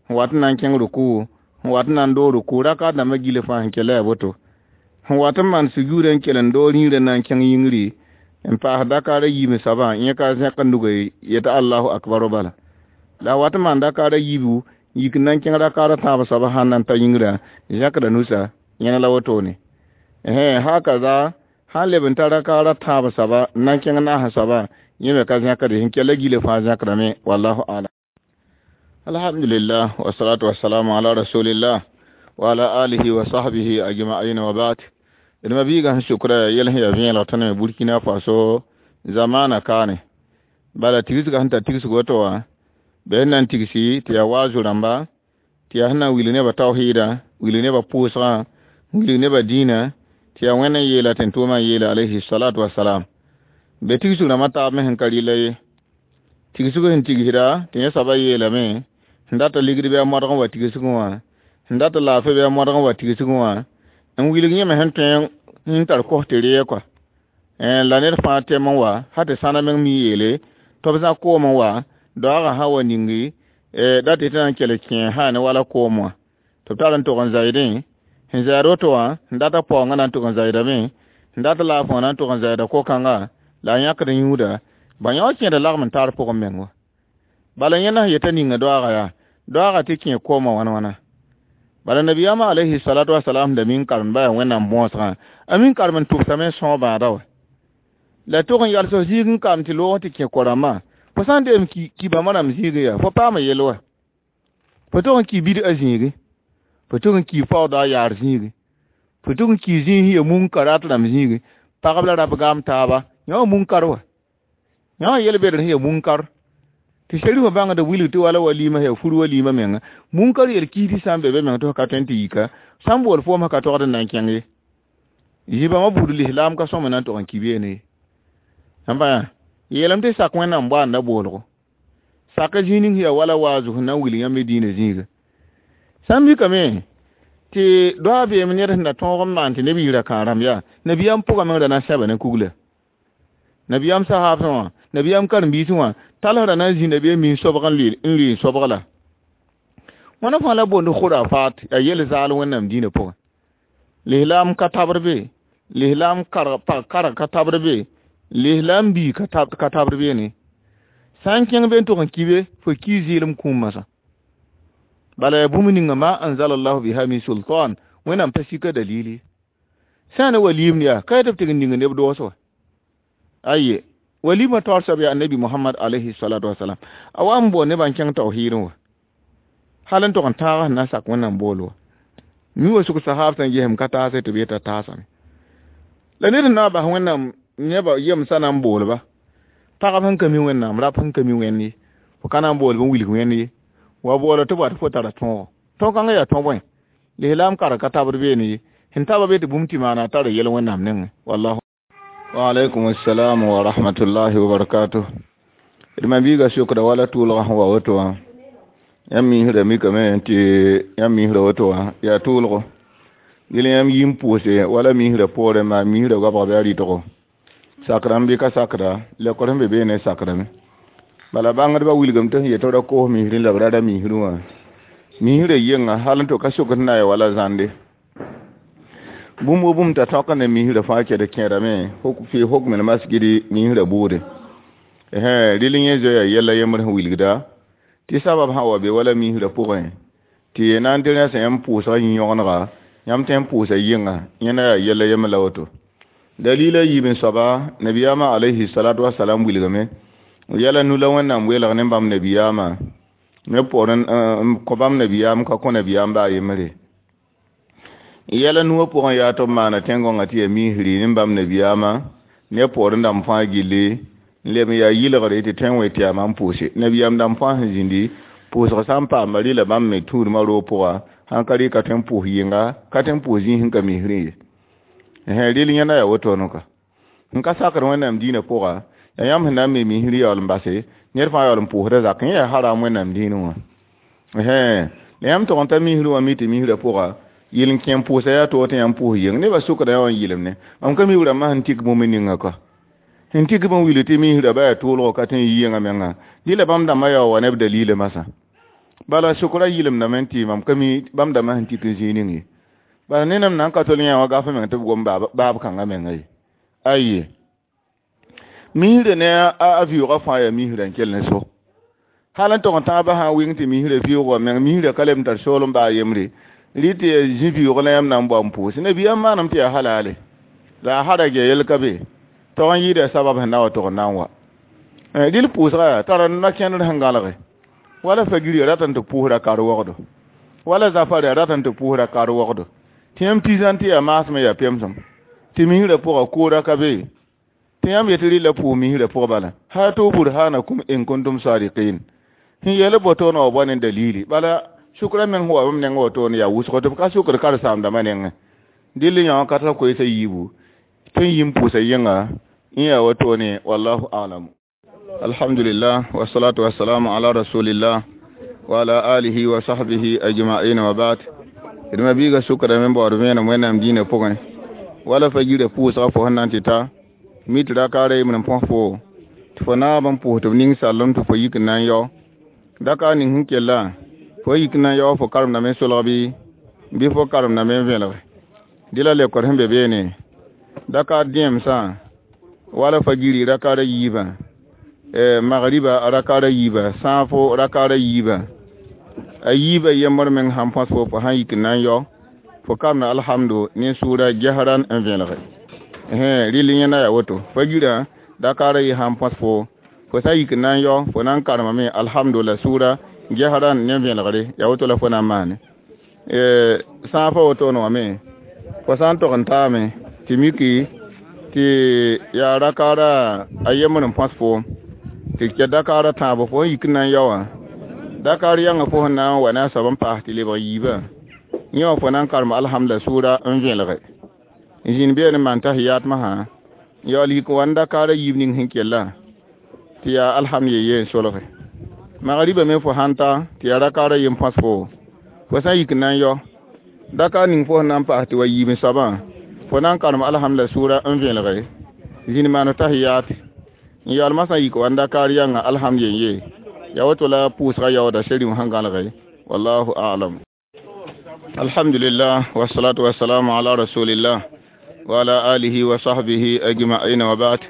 sẽn wat n na n kẽng ruku sẽn wat n na n doog ruku rakat dãmbã gilã fãa sẽn kell la yaa woto sẽn wat n maan sujuudã n kell n doog rĩirã n na n kẽng yĩngri n paas dakaara yiib n soabã yẽ ka zẽkd nugã yeta allahu akbar bala la wat n maan dakaara yiibu yik n na n kẽng rakaara tãab soabã sãn na n ta yĩngrã zẽkda nusa yẽna la wotone hakaza sãn leb n ta rakaara tãab soaba n na n kẽng naas soaba yẽ me ka zẽkde sẽn kell gilã fãa zẽkdame wallahu alam. Alhamdulillah wassalatu wassalamu ala rasulillah wa ala alihi wa sahbihi ajma'in wa ba'd. D ma biigã sẽn sʋkra yɛl sẽn yaa vẽelg tõnd me Burkina Faso zamana kaane bala tigsgã sẽn tar tigsg woto wã bɩ sẽn na n tigsi tɩ yaa waazu rãmba tɩ yaa sẽn na n wilg nebã taohiidã wilg nebã pʋʋsgã wilg nebã dĩinã tɩ yaa Wẽnd n yeela tɩ n tʋʋmã n yeela alayhi salatu wasalam be tigsg rãmbã taab me sẽn ka rɩla ye tigsg sẽn tigsda tɩ yẽ soabã yeelame sẽn dat ligd bɩ a modg n wa tigsgẽ wã sẽn dat laafɩ bɩ a modg n wa tigsgẽ wã n wilg yẽme sẽn tõe n tar kos tɩ reeg kɔa la ned fãa tɛm n wa sã tɩ sãna meng mi yeele tɩ b zã koom n wa daoogã sã wa ningi dat tɩ na n kell kẽ sã ne wala koom wã tɩ b tar n tog n zaɩdẽ sẽn zaɩd woto wã sẽn dat a paoongã na n tog n zaɩdame sẽn dat laafã wã na n tog n zaɩda ko-kãnga la a yãkd n yũuda ba yã wã kẽeda lagm n tar pʋgẽ meng wa bala yẽnda sẽn yeta ninga doaaga yaa doaaga tɩ kẽ koomã wãn-wãna bala nabiyaamã alayhi salatu wasalam da min karem ba yaa Wẽnnaam bõosgã a min karem n tʋbsame n sõog bãada wa la tog n yals f zĩig n kam tɩ loog tɩ kẽ ko-rãmbã fo sã n deem ki bãmba rãmb zĩigẽ yaa fo paama yell wa fo tog n ki bid-a zĩigi fo tog n ki paooda a yaar zĩigi fo tog n ki zĩig ya munkarat rãmb zĩigi pagb la rap gaam taaba yã wã munkar wa yã wã yel-bedr sẽn ya munkar tɩ sherifã bãngd wilg tɩ wala walima ya fur walima menga munkar yel kiis sã n be be meng tɩ f ka tõe n tɩ yika sã n bool foom ka togd n na n kẽng ye zĩ-bãmbã buud lislaam ka sõm na n tog n ki beene ye sãn pa yã yeelame tɩ sak Wẽnnaam boaanda boolgo sak zĩig ning sẽn yaa wala waazu sẽn na n wilg yãmb diinã zĩiga sã n mikame tɩ doa beem ned sẽn na tõog n maan tɩ neb yɩ ra-kãag rãmb yaa nabiyaam pʋgã meng ra na n sẽba ne kugla nabiyaam sahaabsã wã nabiyaam karen-biisẽ wã talsrã na n zĩ nabiyaam mi n sobg n lʋɩ n sobg la wãna fãa la boond khurafat yaa yel zaal Wẽnnaam dĩinã pʋgẽ lislaam ka tabr be lislaam pag karg ka tabr be lislaam bii ka tabr beene sã n kẽng be n tog n ki be fo ki zɩɩlem kũum masã bala yaa bũmb ninga ma anzalallahu biha min sultan Wẽnnaam pa sika dalili sã n ne waliimd yaa ka yaa tɩ b tɩg n ning neb doos wa aye walima taoor soab yaa annabi Muhammad alayhi salatu wasalam a wa n bool nebã n kẽng tawhiidẽ wa hal n tog n tãag sẽn na n sak Wẽnnaam bool wa mi wa sʋk sahaab sẽn gesem ka taase tɩ b yeta taasame la ned sẽn na n bas Wẽnnaam nebã yemsã na n boolba pagb sẽn ka mi Wẽnnaam rap sẽn ka mi Wẽnd ye fo ka na n boolb n wilg Wẽnd ye wa boola tɩ b wa tɩ fo tara tõogo tõog-kãngã yaa tõ bõe lislaam karg ka tabd beene ye sẽn taba be tɩ bũmb tɩ maana a tara yɛl Wẽnnaam nengẽ wallahu. Wa alaikum assalam wa rahmatullahi wa barakatuh. D ma biiga sokda wala tʋʋlgã sẽn wa woto wã yãmb miisrã mikame tɩ yãmb miisrã woto wã yaa tʋʋlgo gil yãmb yim pʋʋse wala miisrã poorẽ maa miisrã goabg bɩ a rɩtgo sakrame bɩ ka sakda lekor sẽn be beene sakrame bala bãngdbã wilgame tɩ sẽn yet ra koos misrẽ la b ra ra misrẽ wã misrã yenga hal n to ka sokd na ya wala zãnde bũmb wo bũmb t'a tõk ne misrã fãa kɛd kẽerame fi hukm l masgidi misrã buude rɩl yẽ zoeya yɛla yembr sẽn wilgda tɩ sabab sã wa be wala misrã pʋgẽ tɩ na n tɩ rẽsã yãmb pʋʋsga yĩ-yõgenega yãmb tõe n pʋʋsa yɩnga yẽna yaa yɛla yembr la woto dalila yiib n soaba nabiyaamã alayhi salatu wasalam wilgame yɛla nu la Wẽnnaam weelg ne bãmb nabiyaamã ne poorẽ n kõ bãmb nabiyaam ka kõ nabiyaam baa yembre yɛla nuwã pʋgẽ yaa tɩ b maana tẽn-gõngã tɩ yaa misri ne bãmb nabiyaamã ne poorẽ dãmb fãa gilli n leb n yaa yɩlgre tɩ tõe n wẽ tɩ yaa mam pʋʋse nabiyaam dãmb fãa sẽn zĩndi pʋʋsg sã n paama rɩla bãmb me tũudmã roog pʋga sãn ka rɩ ka tõe n pʋʋs yɩnga ka tõe n pʋʋs zĩig sẽn ka misrẽ ye rɩl yẽna yaa wotone ka n ka sakd Wẽnnaam dĩinã pʋga Yaa yãmb sẽn na n me misr yaool n base ned fãa yaool n pʋʋsda zak yẽ yaa haram Wẽnnaam dĩinẽ wã. La yãmb tog n ta misr wã mi tɩ misrã pʋga yɩl n kẽ n pʋʋsa yaa toog tɩ yãmb pʋʋs yeng nebã sʋkda yã wã n yɩlemne mam ka mi b rãmbã sẽn tik bũmb ninga ka sẽn tik bũmb wilg tɩ misrã ba yaa toolgo ka tõe n yi yẽngã menga dɩ la bãmb dãmbã yaa wa ne b dalila masã bala sʋkra yɩlemdame n tɩ mam ka mi bãmb dãmbã sẽn tik n zĩig ning ye bala ne nem na n ka tol yã wã gaf meng tɩ b gom baab kãngã menga ye aye misrã ne a vɩʋʋgã fãa yaa misrã n kell n so hal n tog n tãabã sã n wɩng tɩ misrã vɩʋʋgã meng misrã ka leb n tar soolem baa yembre rɩ tɩ yaa zĩ vɩʋʋg la yãmb na n bao n pʋʋs nabiyaam maanam tɩ yaa halale la a harag ya yel ka be tog n yɩɩda sabab sẽn na wa tog n na n wa rɩl pʋʋsga yaa tara na-kẽndr sẽn gãlge wala fagiri ya rat n tɩ pʋʋsra kar-wogdo wala zafar ya rat n tɩ pʋʋsra kar-wogdo tɩ yãmb tɩ tɩ yaa maasem yaa pemsem tɩ misrã pʋga koora ka be tɩ yãmb yetɩ rɩla pʋʋs misrã pʋg bala hatu burhanakum in kuntum sadiqin sẽn yeel botoon wa wa ne dalili bala sʋkra meng sẽn wa bãmb nengã wotoone yaa wʋsgo tɩ b ka sʋkd karen-saamdãmbã nengẽ dɩll yã wã ka tar koeesã yiibu tɩ n yi n pʋʋsa yẽnga n yaa wotone wallahu alam. Alhamdulillah wassalatu wassalamu ala rasulillah wa ala alihi wa sahbihi ajma'in wa ba'd. D ma biiga sʋkdame n baood vẽenem Wẽnnaam dĩinã pʋgẽ wala fa yirã pʋʋsga fo sẽn na n tɩ ta mi tɩ rakaara yembr n põs fo tɩ fo naab n pʋʋs tɩ b ning sallem tɩ fo yik n na n yao daka ning sẽn kella fo yik n na n yao fo karemdame n solg bɩ fo karemdame n vẽlge dɩ la lekor sẽn be beene dakaar dẽemsã wala fa giri rakaara yiibã magriba rakaara yiibã sãafo rakaara yiibã a yiibã yembr meng sãn põs fo fo sãn yik n na n yao fo karemda alhamdu ne sʋʋra gesran n vẽlge rɩl yẽnda yaa woto fa girã dakaara yɩ sãn põs fo fo sã n yik n na n yao fo na n karemame alhamdu la sʋʋra gesran ne vẽlgre yaa woto la fo na n maane sãafã wotone wã me fo sã n tog n taame tɩ miki tɩ yaa rakaara a yembr n põs fo tɩ kɛ dakaara tãabo fo n yik n na n yao wã dakaar yãnga fo sẽn na n wa ne a soab n paas tɩ lebg yiibã yẽ wã fo na n karem alhamda sʋʋra n vẽlge n zĩnd beene n maan tahiyat masã n yaool yik n wa n dakaara yiib ning sẽn kella tɩ yaa alhamd ye n solge magriba me fo sãn ta tɩ yaa rakaara yem põs fo fo sã n yik n na n yao dakaar ning fo sẽn na n paas tɩ wa yiib n soabã fo na n karem alhamda sʋʋra n vẽlge zĩnd maan tahiyat n yaool masã yik wa n dakaar yãnga alhamd yen-ye yaa woto la pʋʋsga yaooda serim sẽn gãlge wallahu a'lam. Alhamdulillah wassalatu wassalamu ala rasulillah wa ala alihi wa sahbihi ajma'in wa ba'd.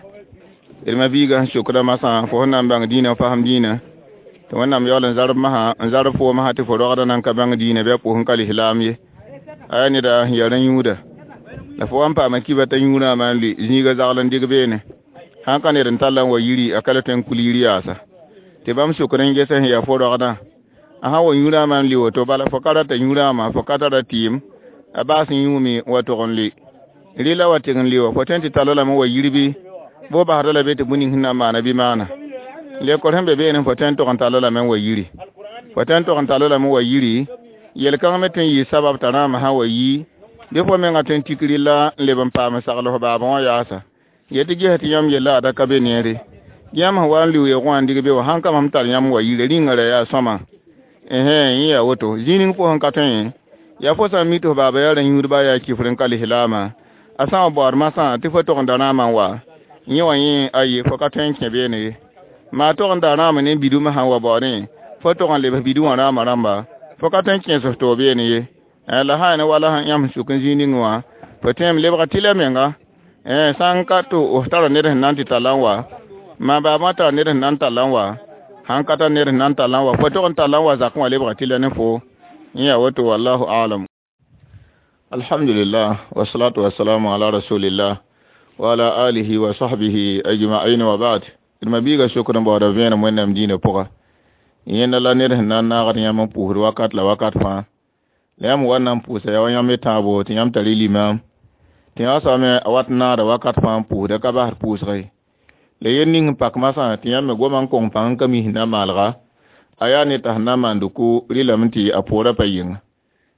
D ma biiga sẽn sokda masã fo sẽn na n bãng dĩinã fasem dĩinã tɩ Wẽnnaam yaool n zarb masã n zarb fo masã tɩ fo rogda nan ka bãng dĩinã bɩ a pʋʋs n ka lislaam ye a yaa neda sẽn yaa rã-yũuda la fo wa n paama kiba t'a yũurã maan lʋɩ zĩiga zagl n dɩg beene sãn ka ned n tall n wa yiri a ka le tõe n kul yir yaasa tɩ bãmb sokd n ges sẽn yaa fo rogdã a sã wa yũurã maan lʋɩ woto bala fo ka rata yũurãmã fo ka tara tɩɩm a baas n yũume n wa tog n lʋɩ rɩla wa tɩg n lʋɩ wa fo tõe n tɩ talla lame wa yir bɩ bo basda la be tɩ bũmb ning sẽn na n maana bɩ maana lekor sẽn be beene fo tõe n tog n talla lame n wa yiri fo tõe n tog n talla lame n wa yiri yel-kãng me tõe n yɩ sabab t'a rãamã sã wa yi bɩ fo mengã tõe n tik rɩlla n leb n paam n sagl f baabã wã yaasa yetɩ ges tɩ yãmb yella ada ka be neere yãmb sẽn wa n lʋɩ wã n dig be wã sãn ka mam tar yãmb wa yire rĩngã ra yaa sõma yẽ yaa woto zĩig ning fo sẽn ka tõe yaa fo sã n mi tɩ f baaba yaa rã-yũudba yaa kifr n ka lislaamã a sã n wa baood masã tɩ fo tog n da rãamã n wa yẽ wã yẽ aye fo ka tõe n kẽ beene ye maa tog n da rãamã ne bidumã sã n wa baoodẽ fo tog n lebs bidu wã rãamã rãmba fo ka tõe n kẽes f toog beene ye la sã yaa ne wala yãmb sẽn sʋk n zĩig ning wã fo tõeme lebga tɩla menga sã n ka tɩ f tara ned sẽn na n tɩ talla n wa maa baabã tara ned sẽn na n talla n wa sãn ka tar ned sẽn na n talla n wa fo tog n talla n wa zakẽ wã lebga tɩla ne fo yẽ yaa woto wallahu alam. Alhamdulillah wassalatu wassalamu ala rasulillah wa ala alihi wa sahbihi ajma'in wa ba'd. D ma biiga sokd n baooda vẽenem Wẽnnaam dĩinã pʋga yẽnda la ned sẽn na n naagd yãmb n pʋʋsd wakat la wakat fãa la yãmb wa n na n pʋʋsa yaa wa yãmb y tãabo tɩ yãmb tar y limaam tɩ yã soabame a wat n naada wakat fãa n pʋʋsda ka basd pʋʋsge la yel ning n pak masã tɩ yãmb me goma n kong pãng n ka mi sẽn na n maalga a yaa ne t'a sẽn na n maand ko rɩlame tɩ a poorã pa yɩnga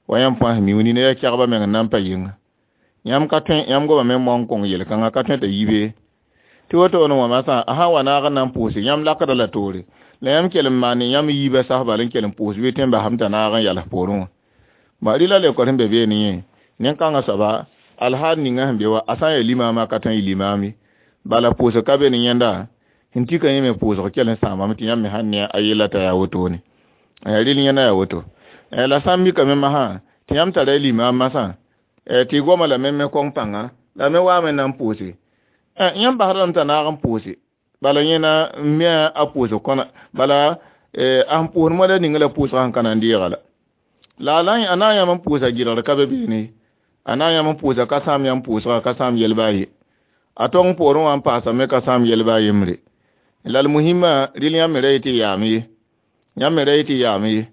wa yãmb fãa sẽn mi nina yaa kɛgbã meng n na n pa yɩnga yãmb ka tõe yãmb gomame n moan n kong yel-kãngã ka tõe t'a yibe Tɩ wotone wã masã a sã n wa naag n na n pʋʋse yãmb lakda la toore la yãmb kell n maan yãmb yiibã sas bal n kell n pʋʋs bɩ tẽ n basame t'a naag n yals poorẽ wã. Ba rɩla leokr sẽn be beene yẽ nin-kãngã soaba alhaal ninga sẽn be wa a sã n yaa limaamã ka tõe n yɩ limaam ye. Bala pʋʋsg ka be ne yẽnda sẽn tika yẽ me pʋʋsg kell n sãamame tɩ yãmb me sãn ne a yella t'a yaa wotone. Rɩl yẽnda yaa woto. La sã n mikame masã tɩ yãmb tara y limaam masã tɩ y goma lame me kõng pãnga la me waame n na n pʋʋse. Yãmb basd lame t'a naag n pʋʋse bala yẽna n mi a pʋʋsg kõna bala a sẽn pʋʋsd moada ninga la pʋʋsgã sẽn ka na n deega la. La a na n yãmb n pʋʋsa gɩlgr ka be beene a na n yãmb n pʋʋsa ka sãam yãmb pʋʋsga ka sãam yɛl baa ye. A tong poorẽ wã n paasame ka sãam yɛl baa yembre. La l muhimã rɩl yãmb me ra yetɩ yaam ye. Yãmb me ra yetɩ yaam ye.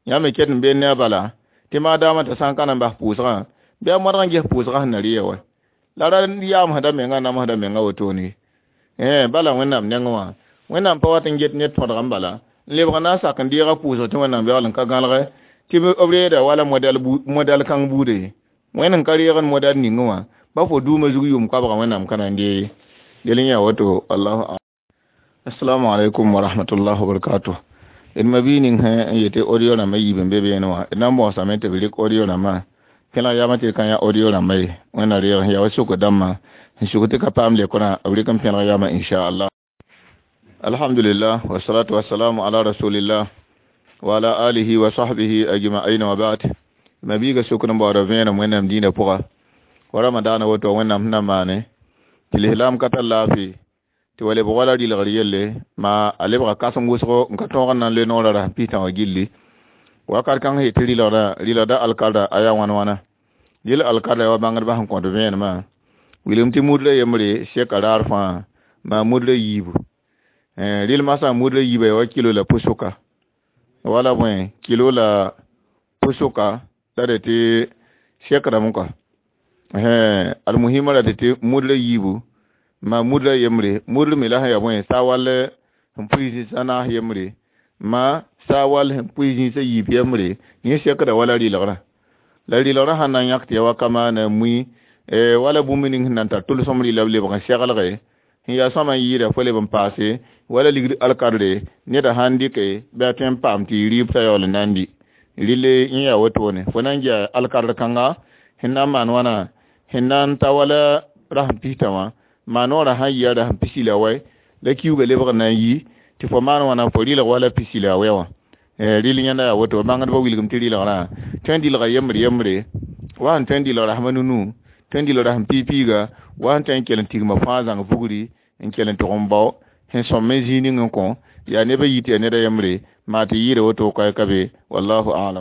Yãmb me ket n beene a bala tɩ maadaamã t'a sã n ka na n bas pʋʋsgã bɩ a modg n ges pʋʋsgã sẽn na rɩ ya wa. La ra yaamsda menga namsda menga wotone ye. Bala Wẽnnaam nengẽ wã Wẽnnaam pa wat n get ned tõdg n bala n lebg n na n sak n deega pʋʋsg tɩ Wẽnnaam yaool n ka gãlge tɩ b reeda wala modɛl kãng buuda ye. Wẽnd n ka reegd modɛl ningẽ wã ba fo duumã zug yʋʋm koabga Wẽnnaam ka na n dee ye. Del n yaa woto wallahu a'lam. Assalamu alaikum wa rahmatullahi wa barakatuh. D ma bii ning sẽ n yetɩ audio rãmbã yiib n be beene wã d na n bõosame tɩ b rɩk audio rãmbã kẽlg yaamã tɩ d ka yã audio rãmbã ye. Wẽnna reeg sẽn yaa wa sokr dãmbã sẽn suk tɩ ka paam lekrã b rɩk n pẽlg yaamã inchallah. Alhamdulillah wassalatu wassalamu ala rasulillah wa ala alihi wa sahbihi ajma'in wa ba'd. Ma biiga sokr n baoora vẽenem Wẽnnaam dĩinã pʋga wa ramadaana woto Wẽnnaam sẽn na n maane tɩ lislaam ka tar laafɩ tɩ wa lebg wala rɩlgr yelle ma a lebga kãsem wʋsgo n ka tõog n na n le noorã rasem pistã wã gilli. Wakat kãng sẽn yetɩ rɩlgda alkarda a yaa wãn wãna. Yel alkarda wa bãngdbã sẽn kõt vẽenemã wilgem tɩ mudla yembre seka raar fãa maa mudla yiibu. Rɩl masã mudla yiibã yaa wa kilo la pʋsʋka wala bõe kilo la pʋsʋka la d tɩ sekrame kɔa. Almuhimã ra tɩ mudla yiibu ma mudla yembre mudl me la sẽn yaa bõe saa wall sẽn pʋɩ zĩis a naas yembre ma saa wall sẽn pʋɩ zĩis a yiib yembre yẽ sekda wala rɩlgrã. La rɩlgrã sãn na n yãk tɩ yaa wa kamaana mui wala bũmb ning sẽn na n tar tʋlsem rɩla b lebg n seglge sẽn yaa sõma n yɩɩda fo leb n paase wala ligd alkadre neda sãn dɩke bɩ a tõe n paam tɩ yɩ rɩɩb t'a yaool n na n dɩ. Rɩle yẽ yaa wotone fo na n gea alkadr kãnga sẽn na n maan wãna sẽn na n ta wala rasem pistã wã maa noorã sãn yɩ a rasem pisi la wɛ la kiuugã lebg n na n yi tɩ fo maan wãna fo rɩlg wala pisi la wɛ wã. Rɩl yẽnda yaa woto bãngdbã wilgem tɩ rɩlgrã tõe n dɩlga yembre yembre wa sẽn tõe n dɩlg rasma nunu tõe n dɩlg rasem piig-piiga wa sẽn tõe n kell n tigma fãa zãng vugri n kell n tʋg n bao sẽn sõm n zĩig ning n kõ yaa nebã yi tɩ yaa neda yembre maa tɩ yɩɩda woto koɛɛ ka be wallahu a'lam.